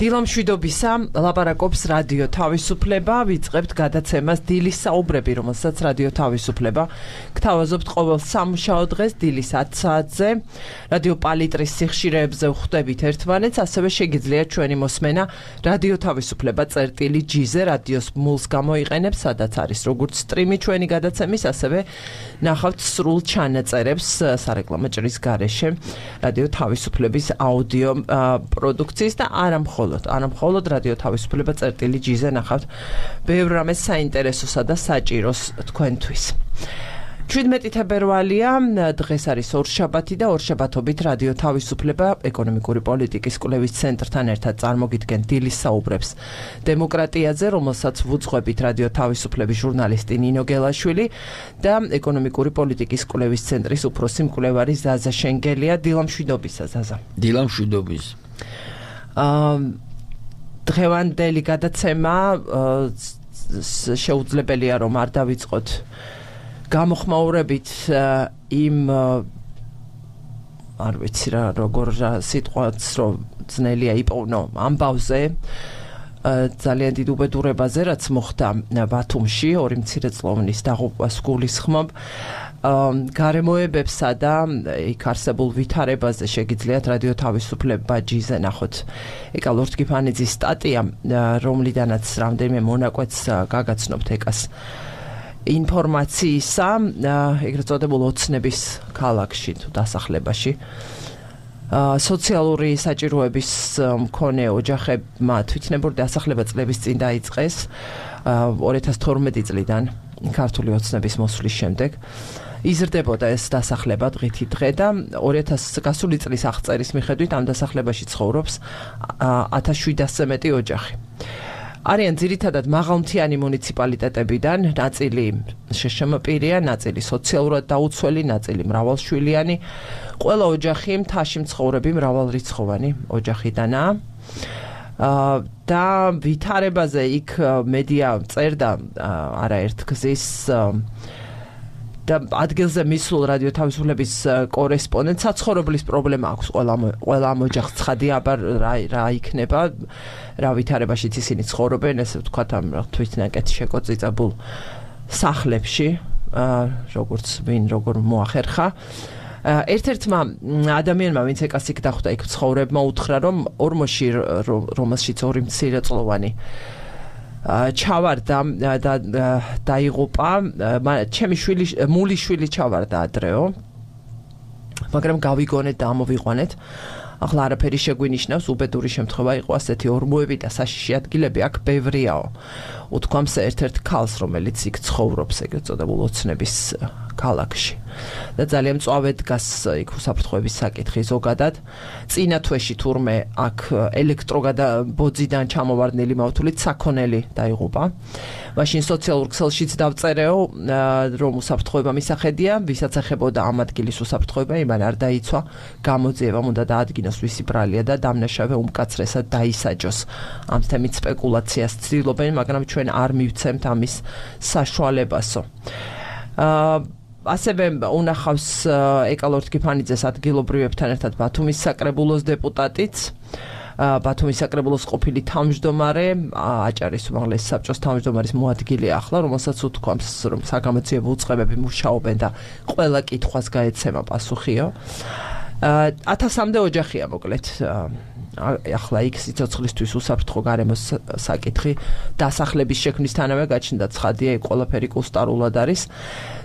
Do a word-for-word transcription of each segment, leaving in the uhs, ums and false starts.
დილამშვიდობისა ლაპარაკობს რადიო თავისუფლება, ვიწყებთ გადაცემას დილის საუბრები, რომელსაც რადიო თავისუფლება გთავაზობთ ყოველ სამუშაო დღეს დილის ათ საათზე. რადიო პალიტრის სიხშირეებზე ვხვდებით ერთმანეთს, ასევე შეგიძლიათ ჩვენი მოსმენა რადიო თავისუფლება წერტილი ჯიზე რადიოს მულს გამოიყენებს, სადაც არის როგორც სტრიმი ჩვენი გადაცემის, ასევე ნახავთ სრულ ჩანაწერებს სარეკლამო ჭრის გარეშე რადიო თავისუფლების აუდიო პროდუქციის და არა მხოლოდ არა მხოლოდ რადიო თავისუფლება წერტილი ჯიზე ნახავთ ბევრ რამეს საინტერესოსა და საჭიროს თქვენთვის. შვიდმეტი თებერვალია, დღეს არის ორშაბათი და ორშაბათობით რადიო თავისუფლება ეკონომიკური პოლიტიკის კვლევის ცენტრთან ერთად წარმოგიდგენ დილის საუბრებს დემოკრატიაზე, რომელსაც ვუძღვებით რადიო თავისუფლების ჟურნალისტი ნინო გელაშვილი და ეკონომიკური პოლიტიკის კვლევის ცენტრის უფროსი მკვლევარი ზაზა შენგელია. დილამშვიდობისა ზაზა. დილამშვიდობის. დღევანდელი გადაცემა შეუძლებელია რომ არ დავიწყოთ გამოხმაურებით იმ არ ვიცი რა როგორ სიტყვაც რომ ძნელია იპოვნო ამბავზე ძალიან დიდ უბედურებაზე რაც მოხდა ბათუმში ორი მცირეწლოვნის დაღუპვას გულისხმობ გარემოებებსა და იქ არსებულ ვითარებაზე შეგიძლიათ რადიო თავისუფლება ჯიზე ნახოთ ეკალ ორთქიფანიძის სტატია რომლიდანაც რამდენიმე მონაკვეთს გაგაცნობთ ეკას ინფორმაციისა ეგრეთ წოდებულ ოცნების ქალაქში თუ დასახლებაში სოციალური საჭიროების მქონე ოჯახებმა თვითნებური დასახლება წლების წინ დაიწყეს ორი ათას თორმეტი წლიდან ქართული ოცნების მოსვლის შემდეგ იზრდებოდა ეს დასახლება დღითი დღე და ორი ათას გასული წლის აღწერის მიხედვით ამ დასახლებაში ცხოვრობს ათას შვიდასზე მეტი ოჯახი. არიან ძირითადად მაღალმთიანი მუნიციპალიტეტებიდან, ნაწილი შეშმ პირია, ნაწილი სოციალურად დაუცველი, ნაწილი მრავალშვილიანი. ყველა ოჯახი მთაში მცხოვრები მრავალრიცხოვანი ოჯახიდანაა. და ვითარებაზე იქ მედია წერდა არაერთ გზის და ადგილზე მისულ რადიო თავისუფლების კორესპონდენტს საცხოვრებლის პრობლემა აქვს ყველა ყველა ამ ოჯახს ცხადია აბა რა რა იქნება რა ვითარებაშიც ისინი ცხოვრობენ ესე ვთქვათ ამ თვითნაკეთ შეკოწიწებულ სახლებში როგორც ვინ როგორ მოახერხა ერთ-ერთმა ადამიანმა ვინც ეკასიკ დახვდა იქ ცხოვრებმა უთხრა რომ ორმოში რომელშიც ორი მცირეწლოვანი ჩავარდა და დაიღუპა ჩემი შვილი მული შვილი ჩავარდა ადრეო მაგრამ გავიგონეთ და ამოვიყვანეთ ახლა არაფერი შეგვინიშნავს უბედური შემთხვევა იყო ასეთი ორმოები და საშიში ადგილები აქ ბევრიაო უთქვამს ერთ-ერთ ქალს რომელიც იქ ცხოვრობს ეგრეთ წოდებულ ოცნების ქალაქში და ძალიან მწვავედ დგას იქ უსაფრთხოების საკითხი ზოგადად წინა თვეში თურმე აქ ელექტროგადაბოძიდან ჩამოვარდნილი მავთულით საქონელი დაიღუპა მაშინ სოციალურ ქსელშიც დავწერეო რომ უსაფრთხოება მისახედია ვისაც ეხებოდა ამ ადგილის უსაფრთხოება იმან არ დაიცვა გამოძიებამ უნდა დაადგინოს ვისი ბრალია და დამნაშავე უმკაცრესად დაისაჯოს ამ თემით სპეკულაციას ცდილობენ მაგრამ ჩვენ არ მივცემთ ამის საშუალებასო ასევე უნახავს ეკალ ორთქიფანიძეს ადგილობრივებთან ერთად ბათუმის საკრებულოს დეპუტატიც ბათუმის საკრებულოს ყოფილი თავმჯდომარე აჭარის უმაღლესი საბჭოს თავმჯდომარის მოადგილე ახლა რომელსაც უთქვამს რომ საგამოძიებო უწყებები მუშაობენ და ყველა კითხვას გაეცემა პასუხიო ათასამდე ოჯახია მოკლედ ახლა იქ სიცოცხლისთვის უსაფრთხო გარემოს საკითხი დასახლების შექმნისთანავე გაჩნდა ცხადია იქ ყველაფერი კუსტარულად არის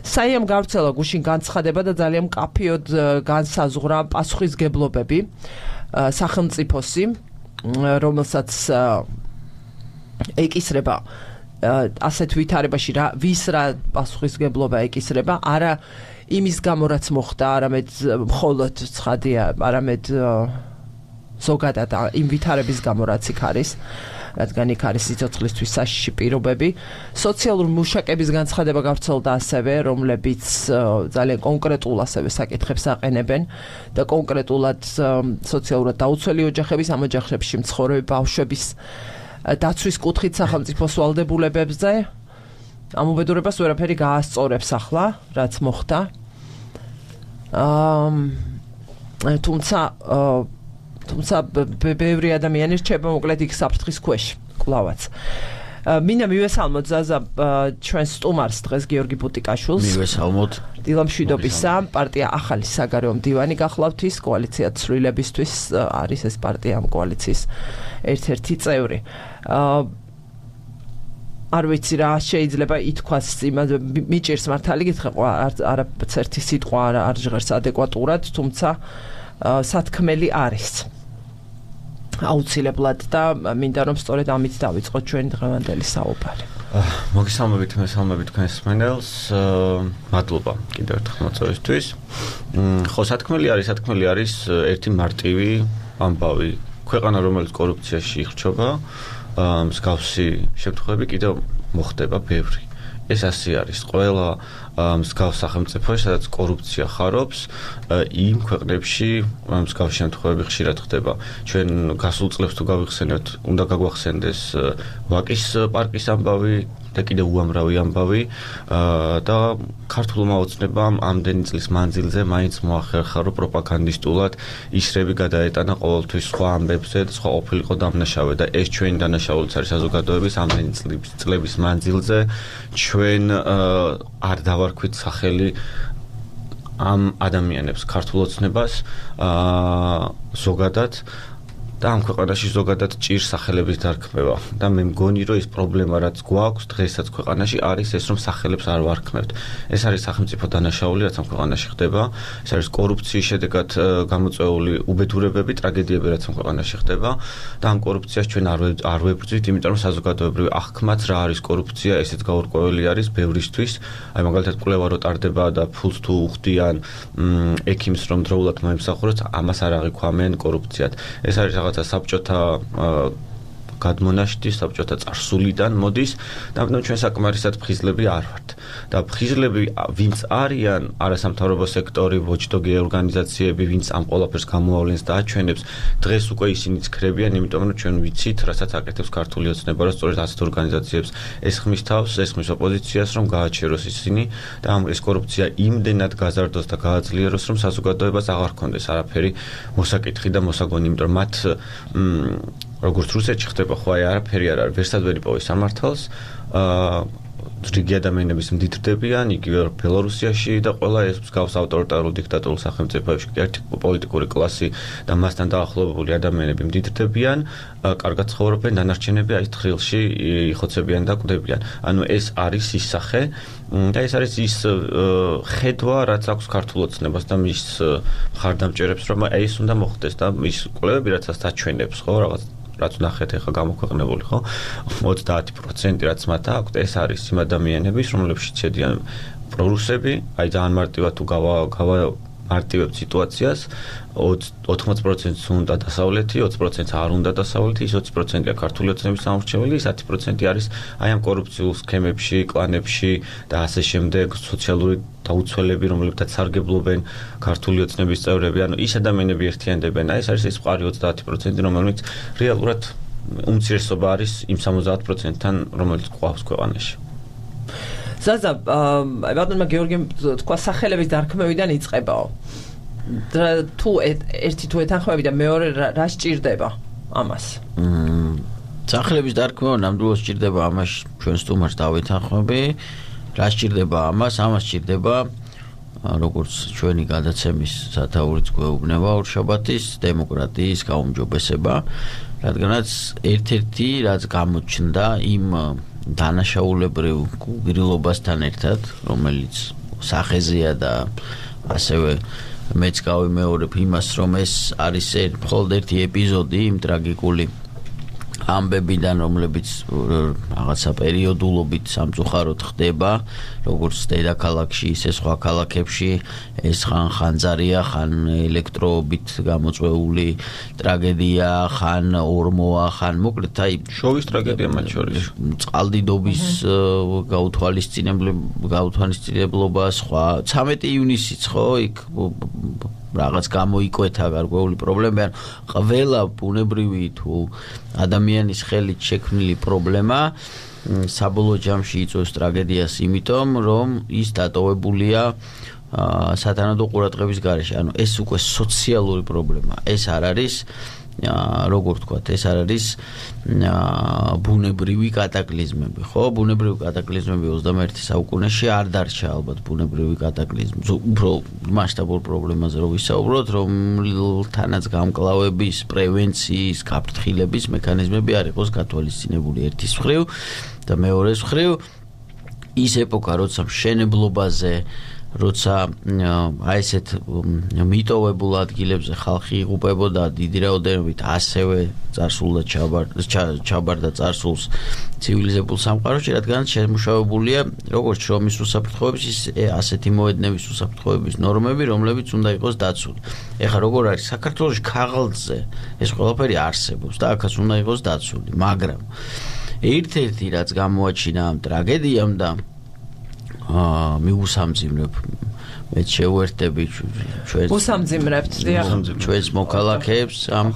საიამ გავრცელა გუშინ განცხადება და ძალიან მკაფიოდ განსაზღვრა პასუხისგებლობები სახელმწიფოსი რომელსაც ეკისრება ასეთ ვითარებაში რა ვის რა პასუხისგებლობა ეკისრება არა იმის გამო რაც მოხდა არამედ მხოლოდ ცხადია არამედ ზოგადად იმ ვითარების გამო რაც იქ არის რადგან იქ არის სიცოცხლისთვის საშიში პირობები სოციალური მუშაკების განცხადება გავრცელდა ასევე რომლებიც ძალიან კონკრეტულ ასევე საკითხებს აყენებენ და კონკრეტულად სოციალურად დაუცველი ოჯახების ამ ოჯახებში მცხოვრები ბავშვების დაცვის კუთხით სახელმწიფოს ვალდებულებებზე ამ უბედურებას ვერაფერი გაასწორებს ახლა რაც მოხდა თუმცა თუმცა ბევრი ადამიანი რჩება მოკლედ იქ საფრთხის ქვეშ კლავაც. მინდა მივესალმოთ ზაზა ჩვენს სტუმარს დღეს გიორგი ბუტიკაშვილს. მივესალმოთ. დილამშვიდობისა პარტია ახალი საგარეო მდივანი გახლავთ ის კოალიცია ცვლილებისთვის არის ეს პარტია ამ კოალიციის ერთ-ერთი წევრი. არ ვიცი რა შეიძლება ითქვას იმაზე მიჭირს მართალი გითხრა არც ერთი სიტყვა არ ჟღერს ადეკვატურად თუმცა სათქმელი არის აუცილებლად და მინდა რომ სწორედ ამით დავიწყოთ ჩვენი დღევანდელი საუბარი. მოგესალმებით, მესალმებით თქვენს მსმენელს. მადლობა კიდევ ერთხელ მოწვევისთვის. ხო, სათქმელი არის, სათქმელი არის ერთი მარტივი ამბავი. ქვეყანა რომელიც კორუფციაში იხრჩობა, მსგავსი შემთხვევები კიდევ მოხდება ბევრი. ეს ასე არის. ყველა მსგავს სახელმწიფოში, სადაც კორუფცია ხარობს, იმ ქვეყნებში მსგავსი შემთხვევები ხშირად ხდება. ჩვენ გასულ წლებს თუ გავიხსენებთ, უნდა გაგვახსენდეს ვაკის პარკის ამბავი და კიდევ უამრავი ამბავი და ქართულმა ოცნებამ ამდენი წლის მანძილზე მაინც მოახერხა, რომ პროპაგანდისტულად ისრები გადაეტანა ყოველთვის სხვა ამბებზე და სხვა ყოფილიყო დამნაშავე და ეს ჩვენი დანაშაულიც არის საზოგადოების ამდენი წლების მანძილზე ჩვენ არ დავარქვით სახელი ამ ადამიანებს ქართულ ოცნებას ზოგადად და ამ ქვეყანაში ზოგადად ჭირს სახელების დარქმევა და მე მგონი რომ ეს პრობლემა რაც გვაქვს დღესაც ქვეყანაში არის ეს რომ სახელებს არ ვარქმევთ. ეს არის სახელმწიფო დანაშაული რაც ამ ქვეყანაში ხდება. ეს არის კორუფციის შედეგად გამოწვეული უბედურებები, ტრაგედიები რაც ამ ქვეყანაში ხდება და ამ კორუფციას ჩვენ არ არ ვებრძვით, იმიტომ რომ საზოგადოებრივი აღქმაც რა არის კორუფცია, ესეც გაურკვეველი არის ბევრისთვის. აი მაგალითად კვლევა რო ტარდება და ფულს თუ უხდიან ექიმს რომ დროულად მოემსახუროს, ამას არ აღიქვამენ კორუფციად. ეს არის რაღაცა საბჭოთა გადმონაშთი, საბჭოთა წარსულიდან მოდის და ამიტომ ჩვენ საკმარისად ფხიზლები არ ვართ. და ფხიზლები ვინც არიან, არასამთავრობო სექტორი, ვოჩდოგი ორგანიზაციები, ვინც ამ ყველაფერს გამოავლენს და აჩვენებს, დღეს უკვე ისინიც ქრებიან, იმიტომ რომ ჩვენ ვიცით, რასაც აკეთებს ქართული ოცნება, რომ სწორედ ასეთ ორგანიზაციებს ესხმის თავს, ესხმის ოპოზიციას, რომ გააჩეროს ისინი და ამ ეს კორუფცია იმდენად გაზარდოს და გააძლიეროს, რომ საზოგადოებას აღარ ჰქონდეს არაფერი მოსაკითხი და მოსაგონი, იმიტომ რომ მათ როგორც რუსეთში ხდება ხო აი არაფერი არ არის ვერსად ვერ იპოვეს სამართალს რიგი ადამიანების მდიდრდებიან იგივე ბელორუსიაში და ყველა ეს მსგავს ავტორიტარულ დიქტატურულ სახელმწიფოებში ერთი პოლიტიკური კლასი და მასთან დაახლოებული ადამიანები მდიდრდებიან კარგად ცხოვრობენ დანარჩენები აი თხრილში იხოცებიან და კვდებიან. ანუ ეს არის ის სახე და ეს არის ის ხედვა რაც აქვს ქართულ ოცნებას და მის მხარდამჭერებს რომ აი ეს უნდა მოხდეს და მის კვლევები რაც აჩვენებს ხო რაღაც რაც ნახეთ ახლა გამოქვეყნებული ხო ოცდაათი პროცენტი რაც მათ აქვს ეს არის იმ ადამიანების რომლებშიც შედიან პრორუსები აი ძალიან მარტივად თუ გავა გავა მარტივებ სიტუაციას ოთხმოცდაათი პროცენტს უნდა დასავლეთი ოცი პროცენტს არ უნდა დასავლეთი ის ოცი პროცენტია ქართული ოცნების სამორჩეველი ის ათი პროცენტი არის აი ამ კორუფციულ სქემებში კლანებში და ასე შემდეგ სოციალური დაუცველები რომლებთაც სარგებლობენ ქართული ოცნების წევრები ანუ ის ადამიანები ერთიანდებიან აი ეს არის ეს მყარი ოცდაათი პროცენტი რომელიც რეალურად უმცირესობა არის იმ სამოცდაათ პროცენტთან რომელიც გვყავს ქვეყანაში. ზაზა, ბატონმა გეორგიმ თქვა სახელების დარქმევიდან იწყებაო. თუ ერთი თუ ეთანხმები და მეორე რა სჭირდება ამას? სახელების დარქმევა ნამდვილად სჭირდება ამას ჩვენ სტუმარს დავეთანხმები. რა სჭირდება ამას? ამას სჭირდება როგორც ჩვენი გადაცემის სათაურიც გვეუბნება ორშაბათის დემოკრატიის გაუმჯობესება, რადგანაც ერთ-ერთი რაც გამოჩნდა იმ დანაშაულებრივ გულგრილობასთან ერთად, რომელიც სახეზეა და ასევე მეც გავიმეორებ იმას, რომ ეს არის მხოლოდ ერთი ეპიზოდი იმ ტრაგიკული ამბებიდან, რომლებიც რაღაცა პერიოდულობით სამწუხაროდ ხდება, როგორც დედაქალაქში, ისე სხვა ქალაქებში, ეს ხან ხანძარია, ხან ელექტროობით გამოწვეული ტრაგედია, ხან ორმოა, ხან მოკლედ აი შოვის ტრაგედია მათ შორის. წყალდიდობის გაუთვალისწინებლობა, სხვა ცამეტი ივნისიც ხო, იქ რაღაც გამოიკვეთა გარკვეული პრობლემა, ან ყველა ბუნებრივი თუ ადამიანის ხელით შექმნილი პრობლემა საბოლოო ჯამში იწვევს ტრაგედიას, იმიტომ რომ ის დატოვებულია სათანადო ყურადღების გარეშე. ანუ ეს უკვე სოციალური პრობლემაა. ეს არ არის როგორ ვთქვათ, ეს არ არის ბუნებრივი კატაკლიზმები, ხო? ბუნებრივი კატაკლიზმები ოცდამეერთე საუკუნეში არ დარჩა ალბათ ბუნებრივი კატაკლიზმი. უფრო მასშტაბურ პრობლემაზე რო ვისაუბროთ, რომელთანაც გამკლავების, პრევენციის, გაფრთხილების მექანიზმები არ იყოს გათვალისწინებული ერთის მხრივ და მეორეს მხრივ ის ეპოქა, როცა მშენებლობაზე როცა აი ესეთ მიტოვებულ ადგილებზე ხალხი იღუპებოდა დიდი რაოდენობით ასევე წარსულდა ჩაბარდა წარსულს ცივილიზებულ სამყაროში, რადგან შემუშავებულია როგორც შრომის უსაფრთხოების, ისე ასეთი მოედნევის უსაფრთხოების ნორმები, რომლებიც უნდა იყოს დაცული. ეხლა როგორ არის საქართველოში ქაღალდზე ეს ყველაფერი არსებობს და აქაც უნდა იყოს დაცული, მაგრამ ერთ-ერთი რაც გამოაჩინა ამ ტრაგედიამ და აა მიუსამძიმრებ მეც შევერთები ჩვენს უსამძიმრებთ ჩვენს მოქალაქეებს ამ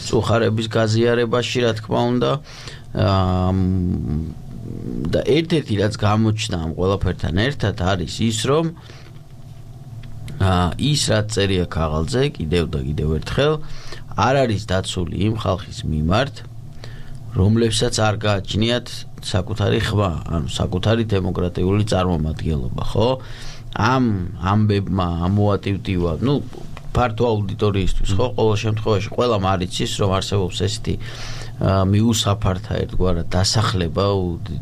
წუხარების გაზიარებაში, რა თქმა უნდა. და ერთ-ერთი რაც გამოჩნდა ამ ყველაფერთან ერთად არის ის, რომ ის რაც წერია ქაღალდზე კიდევ და კიდევ ერთხელ არ არის დაცული იმ ხალხის მიმართ, რომლებსაც არ გააჩნიათ საკუთარი ხმა, ანუ საკუთარი დემოკრატიული წარმომადგენლობა, ხო? ამ ამბებმა, ამ მოატივტივა, ну, ფართო აუდიტორიისთვის, ხო, ყოველ შემთხვევაში ყველამ არ იცის, რომ არსებობს ესეთი მიუსაფართა ერთგვარად დასახლება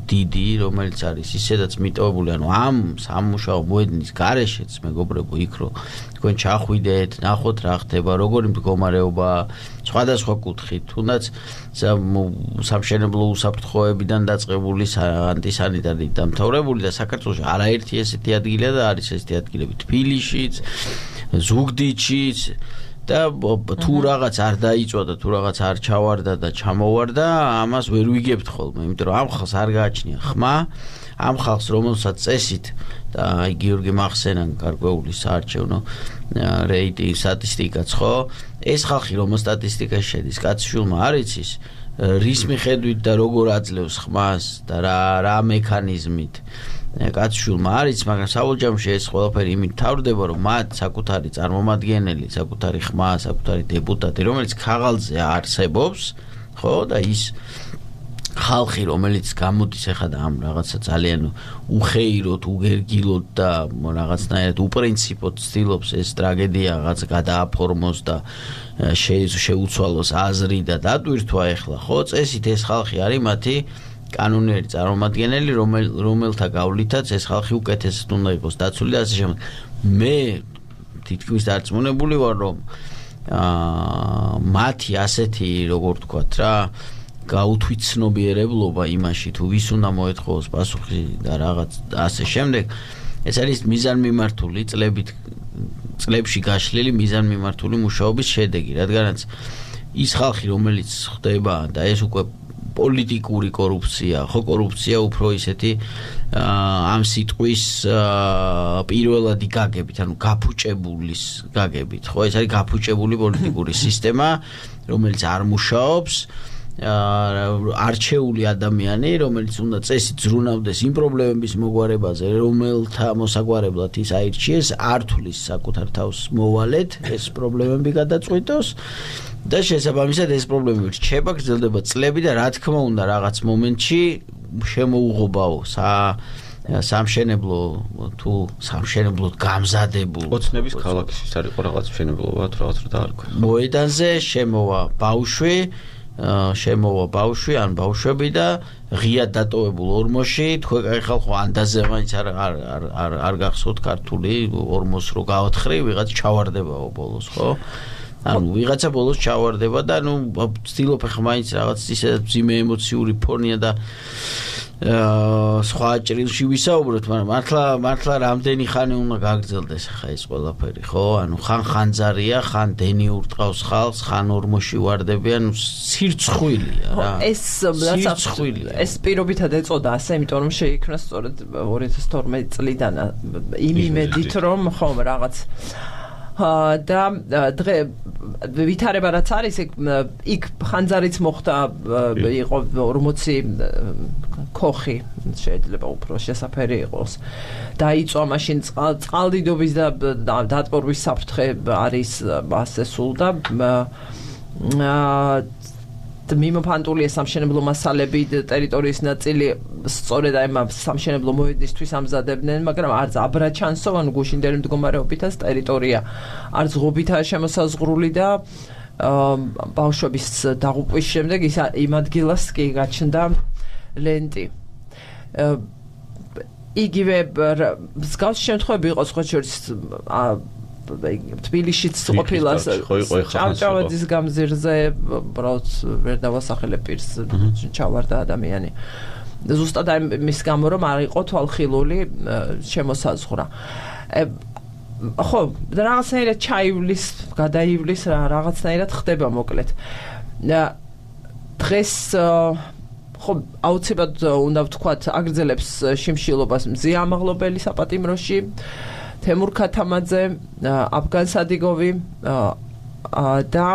დიდი, რომელიც არის ისედაც მიტოვებული, ანუ ამ სამუშაო მოედნის გარეშეც, მეგობრებო, იქ რო თქვენ ჩახვიდეთ, ნახოთ რა ხდება, როგორი მდგომარეობა, სხვადასხვა კუთხით, თუნდაც სამშენებლო უსაფრთხოებიდან დაწყებული ანტისანიტარი დამთავრებული და საქართველოში არაერთი ესეთი ადგილია და არის ესეთი ადგილები თბილისშიც, ზუგდიდშიც და თუ რაღაც არ დაიწვა და თუ რაღაც არ ჩავარდა და ჩამოვარდა, ამას ვერ ვიგებთ ხოლმე, იმიტომ რომ ამ ხალხს არ გააჩნია ხმა, ამ ხალხს რომელსაც წესით და აი გიორგი მახსენან გარკვეული საარჩევნო რეიტინგი სტატისტიკაც, ხო? ეს ხალხი რომ სტატისტიკაში შედის, კაცშვილმა არ იცის რის მიხედვით და როგორ აძლევს ხმას და რა რა მექანიზმით კაცშვილმა არ იცის, მაგრამ საბოლოოში ეს ყველაფერი იმით თავდება, რომ მათ საკუთარი წარმომადგენელი, საკუთარი ხმა, საკუთარი დეპუტატი, რომელიც ქაღალდზე არსებობს, ხო, და ის ხალხი, რომელიც გამოდის ახლა და ამ რაღაცა ძალიან უხეიროთ, უგერგილოთ და რაღაცნაირად უპრინციპოდ ცდილობს ეს ტრაგედია რაღაც გადააფორმოს და შეუცვალოს აზრი და დატვირთვა ახლა, ხო, წესით ეს ხალხი არის მათი კანონიერი წარმომადგენელი, რომელთა გავლითაც ეს ხალხი უკეთესად უნდა იყოს დაცული და ასე შემდეგ. მე თითქმის დარწმუნებული ვარ, რომ მათი ასეთი, როგორ ვთქვათ რა, გაუთვითცნობიერებლობა იმაში, თუ ვის უნდა მოეთხოვოს პასუხი და რაღაც ასე შემდეგ, ეს არის მიზანმიმართული წლებით წლებში გაშლილი მიზანმიმართული მუშაობის შედეგი, რადგანაც ის ხალხი, რომელიც ხდება და ეს უკვე პოლიტიკური კორუფცია, ხო, კორუფცია უფრო ისეთი ამ სიტყვის პირველადი გაგებით, ანუ გაფუჭებულის გაგებით, ხო, ეს არის გაფუჭებული პოლიტიკური სისტემა, რომელიც არ მუშაობს, არჩეული ადამიანი, რომელიც უნდა წესით ზრუნავდეს იმ პრობლემების მოგვარებაზე, რომელთა მოსაგვარებლად ის აირჩიეს, არ თulis საკუთარ თავს მოვალეთ, ეს პრობლემები გადაწყვიტოს და შესაბამისად ეს პრობლემები რჩება, გრძელდება წლები და რა თქმა უნდა რაღაც მომენტში შემოუღობაო სამშენებლო თუ სამშენებლოდ გამზადებულ ოცნების ქალაქის ის არის რაღაც მშენებლობა თუ რაღაც რა დაარქვა. მოედანზე შემოვა ბავშვი შემოვა ბავშვი ან ბავშვები და ღია დატოვებულ ორმოში, თქვენ კაი ხალხო ანდაზე მაინც არ არ არ არ გახსოვთ ქართული ორმოს რო გაოთხრი, ვიღაც ჩავარდებაო ბოლოს, ხო? ანუ ვიღაცა ბოლოს ჩავარდება და ნუ ვცდილობ ახლა მაინც რაღაც ისედაც მძიმე ემოციური ფონია და სხვა ჭრილში ვისაუბროთ, მაგრამ მართლა მართლა რამდენი ხანი უნდა გაგრძელდეს ახლა ეს ყველაფერი, ხო? ანუ ხან ხანძარია, ხან დენი ურტყავს ხალხს, ხან ორმოში ვარდებიან, სირცხვილია რა. ეს ეს პირობითად ეწოდა ასე, იმიტომ რომ შეიქმნა სწორედ ორი ათას თორმეტი წლიდან იმ იმედით, რომ ხომ რაღაც და დღე ვითარება რაც არის იქ ხანძარიც მოხდა იყო ორმოცი ქოხი შეიძლება უფრო შესაფერი იყოს დაიწვა მაშინ წყალდიდობის და დატბორვის საფრთხე არის ასე სულ და მიმოფანტულია სამშენებლო მასალები ტერიტორიის ნაწილი სწორედ აი ამ სამშენებლო მოედნისთვის ამზადებდნენ მაგრამ არც აბრაჩანსო ან გუშინდელი მდგომარეობითაც ტერიტორია არც ღობითაა შემოსაზღვრული და ბავშვების დაღუპვის შემდეგ ის იმ ადგილას კი გაჩნდა ლენტი იგივე მსგავსი შემთხვევები იყო სხვა შორის თბილისშიც ყოფილა ჭავჭავაძის გამზირზე უბრალოდ ვერ დავასახელებ პირს ჩავარდა ადამიანი ზუსტად მის გამო რომ არ იყო თვალხილული შემოსაზღვრა ხო რაღაცნაირად ჩაივლის გადაივლის რაღაცნაირად ხდება მოკლედ დღეს ხო აუცილებლად უნდა ვთქვათ აგრძელებს შიმშილობას მზია ამაღლობელი საპატიმროში თემურ ქათამაძე, აფგან სადიგოვი და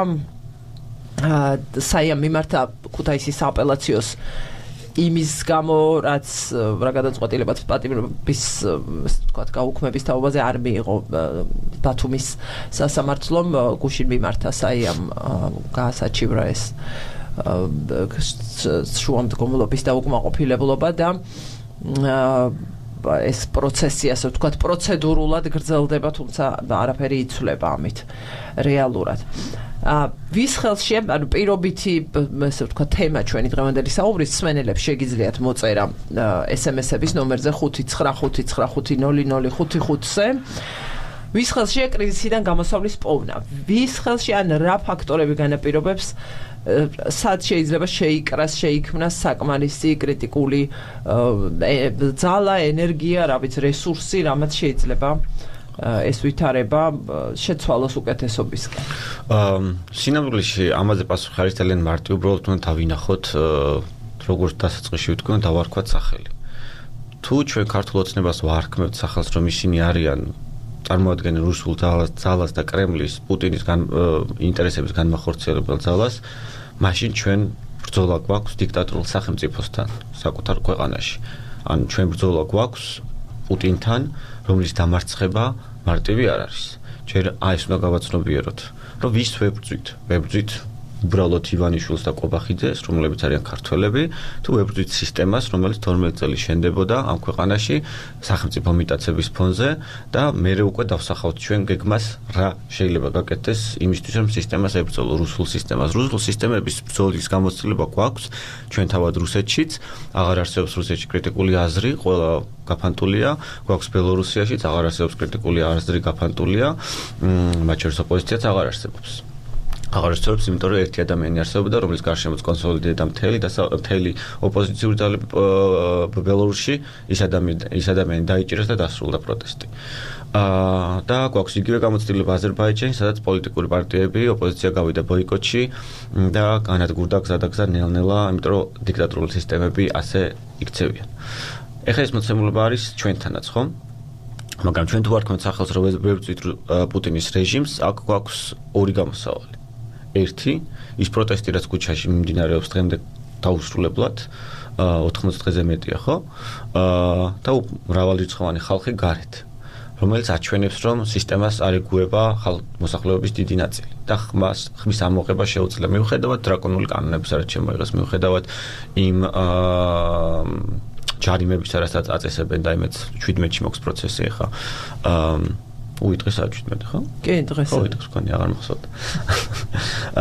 საიამ მიმართა ქუთაისის სააპელაციოს იმის გამო, რაც რა გადაწყვეტილებაც პატიმრობის ვთქვათ გაუქმების თაობაზე არ მიიღო ბათუმის სასამართლომ გუშინ მიმართა საიამ გაასაჩივრა ეს შუამდგომლობის დაუკმაყოფილებლობა და ეს პროცესი ასე ვთქვათ პროცედურულად გრძელდება თუმცა არაფერი იცვლება ამით რეალურად ვის ხელშია ანუ პირობითი ასე ვთქვათ თემა ჩვენი დღევანდელი საუბრის მსმენელებს შეგიძლიათ მოწერა ესემესების ნომერზე ხუთი ცხრა ხუთი ცხრა ხუთი ნული ნული ხუთი ხუთზე ვის ხელშია კრიზისიდან გამოსავლის პოვნა ვის ხელში ან რა ფაქტორები განაპირობებს სად შეიძლება შეიკრას შეიქმნას საკმარისი კრიტიკული ძალა ენერგია რა ვიცი რესურსი რამაც შეიძლება ეს ვითარება შეცვალოს უკეთესობისკენ სინამდვილეში ამაზე პასუხი არის ძალიან მარტივი უბრალოდ უნდა დავინახოთ როგორც დასაწყისში ვთქვი და დავარქვათ სახელი თუ ჩვენ ქართულ ოცნებას ვარქმევთ სახელს რომ ისინი არიან წარმოადგენენ რუსულ ძალას და კრემლის პუტინის ინტერესების განმახორციელებელ ძალას მაშინ ჩვენ ბრძოლა გვაქვს დიქტატორულ სახელმწიფოსთან საკუთარ ქვეყანაში ან ჩვენ ბრძოლა გვაქვს პუტინთან რომლის დამარცხება მარტივი არ არის ჯერ აი ეს უნდა გავაცნობიეროთ რომ ვის ვებრძვით ვებრძვით უბრალოდ ივანიშვილს და კობახიძეს, რომლებიც არიან ქართველები, თუ ვებრძვით სისტემას, რომელიც თორმეტ წელი შენდებოდა ამ ქვეყანაში სახელმწიფო მიტაცების ფონზე და მერე უკვე დავსახავთ ჩვენ გეგმას რა შეიძლება გაკეთდეს იმისთვის, რომ სისტემას ებრძოლო რუსულ სისტემას. რუსულ სისტემების ბრძოლის გამოცდილება გვაქვს ჩვენ თავად რუსეთშიც, აღარ არსებობს რუსეთში კრიტიკული აზრი, ყველა გაფანტულია, გვაქვს ბელორუსიაშიც აღარ არსებობს კრიტიკული აზრი, გაფანტულია, მათ შორის ოპოზიციაც აღარ არსებობს. აღარ არსებობს, იმიტომ რომ ერთი ადამიანი არსებობდა, რომლის გარშემოც კონსოლიდირდა მთელი და მთელი ოპოზიციური ძალები ბელორუსში, ის ადამიანი ის ადამიანი დაიჭირეს და დასრულდა პროტესტი. აა და გვაქვს იგივე გამოცდილება აზერბაიჯანში, სადაც პოლიტიკური პარტიები, ოპოზიცია გავიდა ბოიკოტში და განადგურდა გზადაგზა ნელ-ნელა, იმიტომ რომ დიქტატორული სისტემები ასე იქცევიან. ეხლა ეს მოცემულობა არის ჩვენთანაც, ხო? მაგრამ ჩვენ თუ ვარქმევთ სახელს, რომ ვებრძვით პუტინის რეჟიმს, აქ გვაქვს ორი გამოსავალი. ერთი, ის პროტესტი, რაც ქუჩაში მიმდინარეობს დღემდე დაუსრულებლად, ოთხმოცი დღეზე მეტია, ხო? და მრავალრიცხოვანი ხალხი გარეთ, რომელიც აჩვენებს, რომ სისტემას არ ეგუება მოსახლეობის დიდი ნაწილი და ხმას ხმის ამოღება შეუძლია. მიუხედავად დრაკონული კანონებისა, რაც შემოიღეს, მიუხედავად იმ ჯარიმებისა, რასაც აწესებენ და იმეც შვიდმეტში მოხს პროცესი ახლა. უიტყისა შვიდმეტი, ხო? კი, დღეს. ხო, უიტყს კონი აღარ მახსოვდა.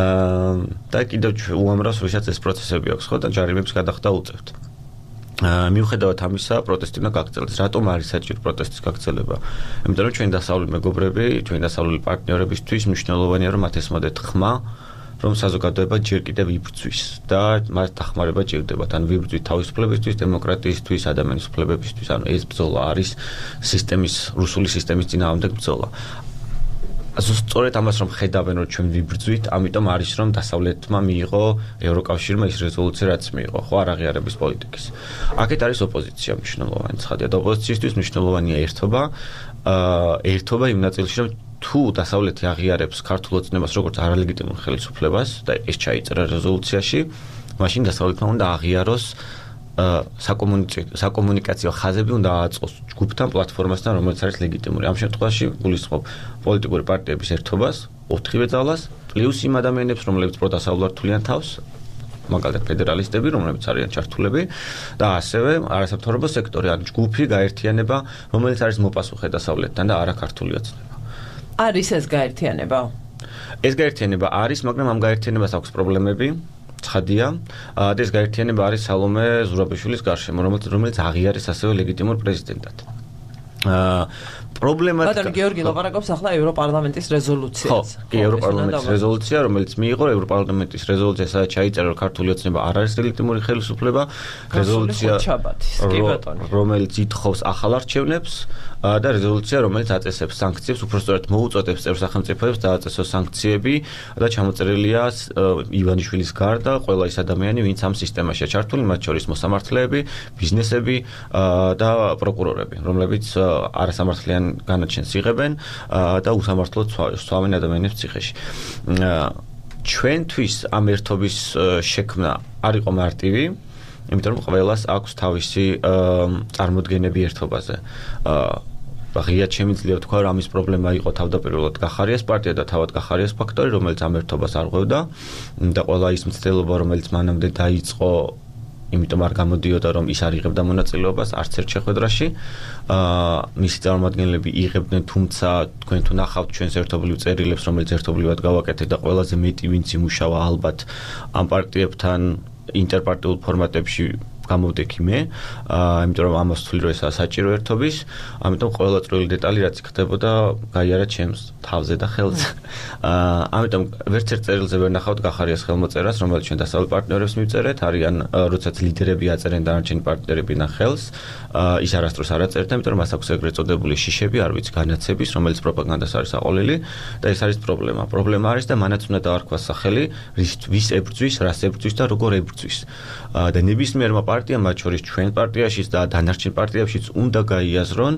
აა და კიდევ უამრავს ვისაც ეს პროცესები აქვს, ხო? და ჯარიმებს გადახდა უწევთ. აა მიუხედავად ამისა, პროტესტი უნდა გაგრძელდეს. რატომ არის საჭირო პროტესტის გაგრძელება? იმიტომ რომ ჩვენი დასავლელი მეგობრები, ჩვენი დასავლელი პარტნიორებისთვის მნიშვნელოვანია, რომ მათ ესმოდეთ ხმა, რომ საზოგადოება ჯერ კიდევ იბრძვის და მას დახმარება ჭირდებათ. ან ვიბრძვით თავისუფლებისთვის, დემოკრატიისთვის, ადამიანის უფლებებისთვის. ანუ ეს ბრძოლა არის სისტემის, რუსული სისტემის წინააღმდეგ ბრძოლა. სწორედ ამას რომ ხედავენ, რომ ჩვენ ვიბრძვით, ამიტომ არის რომ დასავლეთმა მიიღო ევროკავშირმა ის რეზოლუცია, რაც მიიღო, ხო, არ აღიარების პოლიტიკის. აქეთ არის ოპოზიცია მნიშვნელოვანი ცხადია და ოპოზიციისთვის მნიშვნელოვანია ერთობა, აა ერთობა იმ ნაწილში, რომ თუ დასავლეთი აღიარებს ქართულ ოცნებას როგორც არალეგიტიმურ ხელისუფლებას და ეს ჩაიწერა რეზოლუციაში, მაშინ დასავლეთმა უნდა აღიაროს საკომუნიკაციო ხაზები უნდა აწყოს ჯგუფთან, პლატფორმასთან, რომელიც არის ლეგიტიმური. ამ შემთხვევაში გულისხმობ პოლიტიკური პარტიების ერთობას, ოთხივე ძალას, პლუს იმ ადამიანებს, რომლებიც პროდასავლართულიან თავს, მაგალითად ფედერალისტები, რომლებიც არიან ჩართულები და ასევე არასამთავრობო სექტორი, ან ჯგუფი, გაერთიანება, რომელიც არის მოპასუხე დასავლეთთან და არა ქართული ოცნება. არის ეს გაერთიანება? ეს გაერთიანება არის, მაგრამ ამ გაერთიანებას აქვს პრობლემები. ცხადია, და ეს გაერთიანება არის სალომე ზურაბიშვილის გარშემო, რომელიც რომელიც აღიარეს ასევე ლეგიტიმურ პრეზიდენტად. აა პრობლემა ბატონო გიორგი ლაპარაკობს ახლა ევროპარლამენტის რეზოლუციაზე. ხო, ევროპარლამენტის რეზოლუცია, რომელიც მიიღო ევროპარლამენტის რეზოლუცია, სადაც ჩაიწერა, რომ ქართული ოცნება არ არის ლეგიტიმური ხელისუფლება, რეზოლუცია, რომელიც ითხოვს ახალ არჩევნებს და რეზოლუცია, რომელიც აწესებს სანქციებს, უпростоრად მოუწოდებს წევრ სახელმწიფოებს დააწესოს სანქციები და ჩამოწერილია ივანიშვილის გარდა ყველა ის ადამიანი, ვინც ამ სისტემაშია ჩართული, მათ შორის მოსამართლეები, ბიზნესები და პროკურორები, რომლებიც არასამართლიან განაჩენს იღებენ და უსამართლოდ სვამენ ადამიანებს ციხეში. ჩვენთვის ამ ერთობის შექმნა არ იყო მარტივი, იმიტომ რომ ყველას აქვს თავისი წარმოდგენები ერთობაზე. ღიად შემიძლია თქვა, რომ ამის პრობლემა იყო თავდაპირველად გახარიას პარტია და თავად გახარიას ფაქტორი, რომელიც ამ ერთობას არ ღვევდა და ყველა ის მცდელობა, რომელიც მანამდე დაიწყო, იმიტომ არ გამოდიოდა, რომ ის არ იღებდა მონაწილეობას არც ერთ შეხვედრაში. აა მისი წარმომადგენლები იღებდნენ, თუმცა თქვენ თუ ნახავთ ჩვენს ერთობლივ წერილებს, რომელიც ერთობლივად გავაკეთეთ და ყველაზე მეტი ვინც იმუშავა ალბათ ამ პარტიებთან ინტერპარტიულ ფორმატებში გამოვდექი მე, აა იმიტომ რომ ამას ვთვლი, რომ ესაა საჭირო ერთობის, ამიტომ ყველა წვრილი დეტალი რაც იქნებოდა გაიარა ჩემს თავზე და ხელზე. აა ამიტომ ვერც ერთ წერილზე ვერ ნახავთ გახარიას ხელმოწერას, რომელიც ჩვენ დასავლეთ პარტნიორებს მივწერეთ, არიან როდესაც ლიდერები აწერენ დანარჩენი პარტნიორები ნახელს, აა ის არასდროს არ აწერდა, იმიტომ რომ მას აქვს ეგრეთ წოდებული შიშები, არ ვიცი, განაცების, რომელიც პროპაგანდას არის აყოლილი და ეს არის პრობლემა. პრობლემა არის და მანაც უნდა დაარქვას სახელი, ვის ებრძვის, რას ებრძვის და როგორ ებრძვის. აა და ნებისმიერმა პარტიამ, მათ შორის ჩვენ პარტიაშიც და დანარჩენ პარტიებშიც უნდა გაიაზრონ,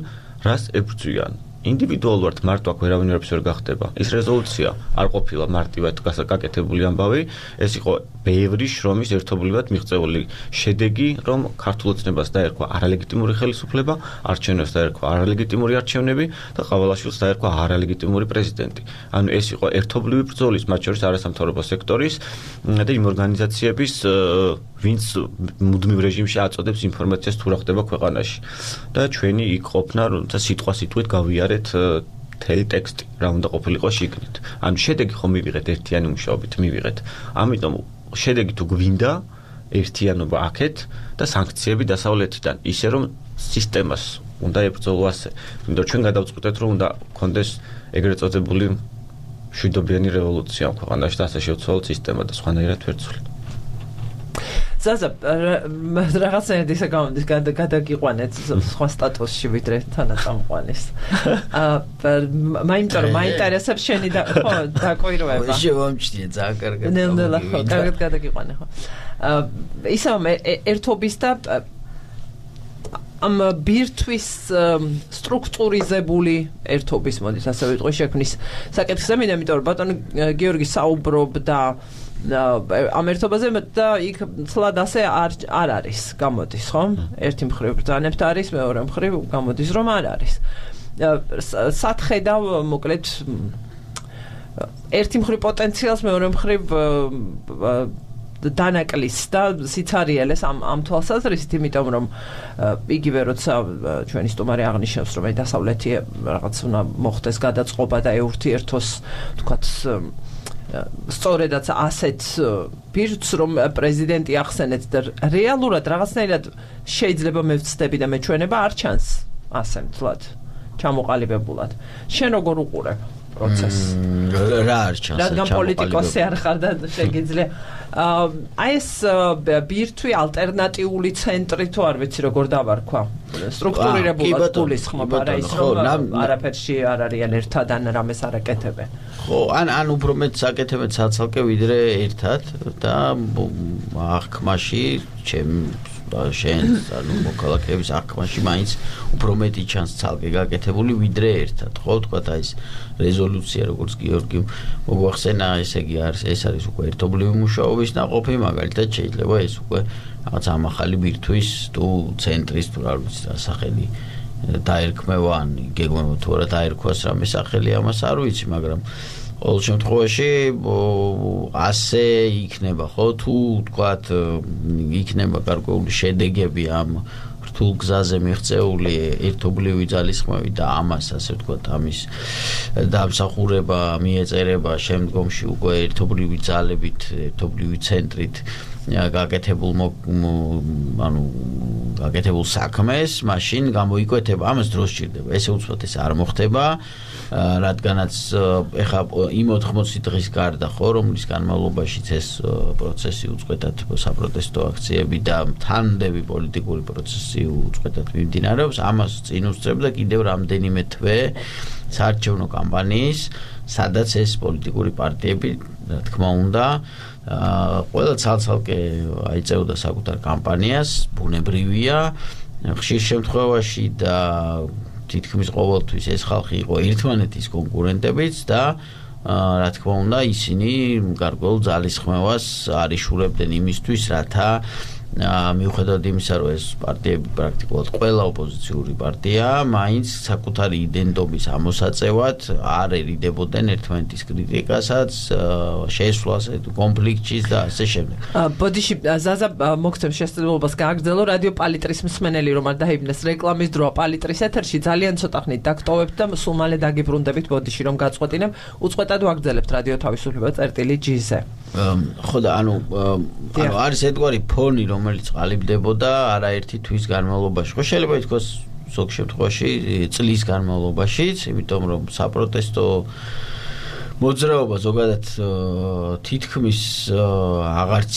რას ებრძვიან. ინდივიდუალურად მარტო აქ ვერავინ ვერაფერს ვერ გახდება. ის რეზოლუცია არ ყოფილა მარტივად გაკეთებული ამბავი, ეს იყო ბევრი შრომის ერთობლივად მიღწეული შედეგი, რომ ქართულ ოცნებას დაერქვა არალეგიტიმური ხელისუფლება, არჩევნებს დაერქვა არალეგიტიმური არჩევნები და ყავალაშვილს დაერქვა არალეგიტიმური პრეზიდენტი. ანუ ეს იყო ერთობლივი ბრძოლის, მათ შორის არასამთავრობო სექტორის და იმ ორგანიზაციების, ვინც მუდმივ რეჟიმში აწოდებს ინფორმაციას თუ რა ხდება ქვეყანაში. და ჩვენი იქ ყოფნა, როცა სიტყვა სიტყვით გავიარეთ მთელი ტექსტი, რა უნდა ყოფილიყო შიგნით. ანუ შედეგი ხომ მივიღეთ ერთიანი მუშაობით, მივიღეთ. ამიტომ შედეგი თუ გვინდა ერთიანობა აქეთ და სანქციები დასავლეთიდან, ისე რომ სისტემას უნდა ებრძოლო ასე. იმიტომ ჩვენ გადავწყვეტეთ, რომ უნდა გქონდეს ეგრეთ წოდებული მშვიდობიანი რევოლუცია ამ ქვეყანაში და ასე შევცვალოთ სისტემა და სხვანაირად ვერ ცვლით. ზაზა, რაღაცნაირად ისე გამოდის, გადაგიყვანეთ სხვა სტატუსში ვიდრე თანაწამყვანის. აა მაინტერესებს, მაინტერესებს შენი და ხო, დაკვირვება. შევამჩნიე ძალიან კარგად. ნელ-ნელა ხო, კარგად გადაგიყვანე ხო. აა ისე ერთობის და ამ ბირთვის სტრუქტურიზებული ერთობის მოდის, ასე ვიტყვი, შექმნის საკითხზე, იმიტომ რომ ბატონი გიორგი საუბრობდა ამ ერთობაზე და იქ ცლად ასე არ არ არის გამოდის, ხო? ერთი მხრივ ბრძანებთ არის, მეორე მხრივ გამოდის, რომ არ არის. სათხედავ მოკლედ ერთი მხრივ პოტენციალს, მეორე მხრივ დანაკლის და სიცარიელეს ამ ამ თვალსაზრისით, იმიტომ რომ იგივე როცა ჩვენი სტუმარი აღნიშნავს, რომ დასავლეთი რაღაც უნდა მოხდეს გადაწყობა და ეურთიერთოს, თქვათ სწორედაც ასეთ პირს, რომ პრეზიდენტი ახსენეთ და რეალურად რაღაცნაირად შეიძლება მე ვცდები და მეჩვენება არ ჩანს ასე მთლად ჩამოყალიბებულად. შენ როგორ უყურებ პროცესს? რა არ ჩანს? რადგან პოლიტიკოსი არ ხარ და შეგიძლია აი ეს ბირთვი ალტერნატიული ცენტრი თუ არ ვიცი როგორ დავარქვა. სტრუქტურირებულად გულისხმობა რა ის რომ არაფერში არ არიან ერთად ან რამეს არ აკეთებენ. ხო, ან ან უფრო მეტ საკეთებენ საცალკე ვიდრე ერთად და აღქმაში ჩემ შენს ანუ მოქალაქეების აღქმაში მაინც უფრო მეტი ჩანს ცალკე გაკეთებული ვიდრე ერთად ხო თქვა და ეს რეზოლუცია როგორც გიორგი მოგვახსენა ესე იგი არის ეს არის უკვე ერთობლივი მუშაობის ნაყოფი მაგალითად შეიძლება ეს უკვე რაღაც ამახალი ბირთვის თუ ცენტრის თუ რა ვიცი რა სახელი დაერქმევა ან გეგმება თუ რა დაერქვას რამე სახელი ამას არ ვიცი მაგრამ ყოველ შემთხვევაში ასე იქნება ხო თუ თქვათ იქნება გარკვეული შედეგები ამ რთულ გზაზე მიღწეული ერთობლივი ძალისხმევით და ამას ასე ვთქვათ ამის დამსახურება მიეწერება შემდგომში უკვე ერთობლივი ძალებით ერთობლივი ცენტრით გაკეთებულ ანუ გაკეთებულ საქმეს მაშინ გამოიკვეთება ამას დრო სჭირდება ესე უცბად ეს არ მოხდება რადგანაც ეხა იმ ოთხმოცი დღის გარდა ხო რომლის განმავლობაშიც ეს პროცესი უწყვეტად საპროტესტო აქციები და თანმდები პოლიტიკური პროცესი უწყვეტად მიმდინარეობს ამას წინ უსწრებდა კიდევ რამდენიმე თვე საარჩევნო კამპანიის სადაც ეს პოლიტიკური პარტიები რა თქმა უნდა ყველა ცალ-ცალკე აიწევდა საკუთარ კამპანიას ბუნებრივია ხშირ შემთხვევაში და თითქმის ყოველთვის ეს ხალხი იყო ერთმანეთის კონკურენტებიც და რა თქმა უნდა ისინი გარკვეულ ძალისხმევას არიშურებდნენ იმისთვის რათა მიუხედავად იმისა რომ ეს პარტიები პრაქტიკულად ყველა ოპოზიციური პარტია მაინც საკუთარი იდენტობის ამოსაწევად არ ერიდებოდნენ ერთმანეთის კრიტიკასაც შესვლას კონფლიქტის და ასე შემდეგ. ბოდიში ზაზა მოგცემ შესაძლებლობას გააგრძელო რადიო პალიტრის მსმენელი რომ არ დაიბნეს რეკლამის დროა პალიტრის ეთერში ძალიან ცოტა ხნით დაგტოვებთ და სულ მალე დაგიბრუნდებით ბოდიში რომ გაწყვეტინებ უწყვეტად ვაგრძელებთ რადიო თავისუფლება წერტილი ჯი-ზე. ხო და ანუ ანუ არის ერთგვარი ფონი რომელიც ყალიბდებოდა არაერთი თვის განმავლობაში. ხო შეიძლება ითქვას ზოგ შემთხვევაში წლის განმავლობაშიც, იმიტომ რომ საპროტესტო მოძრაობა ზოგადად თითქმის აღარც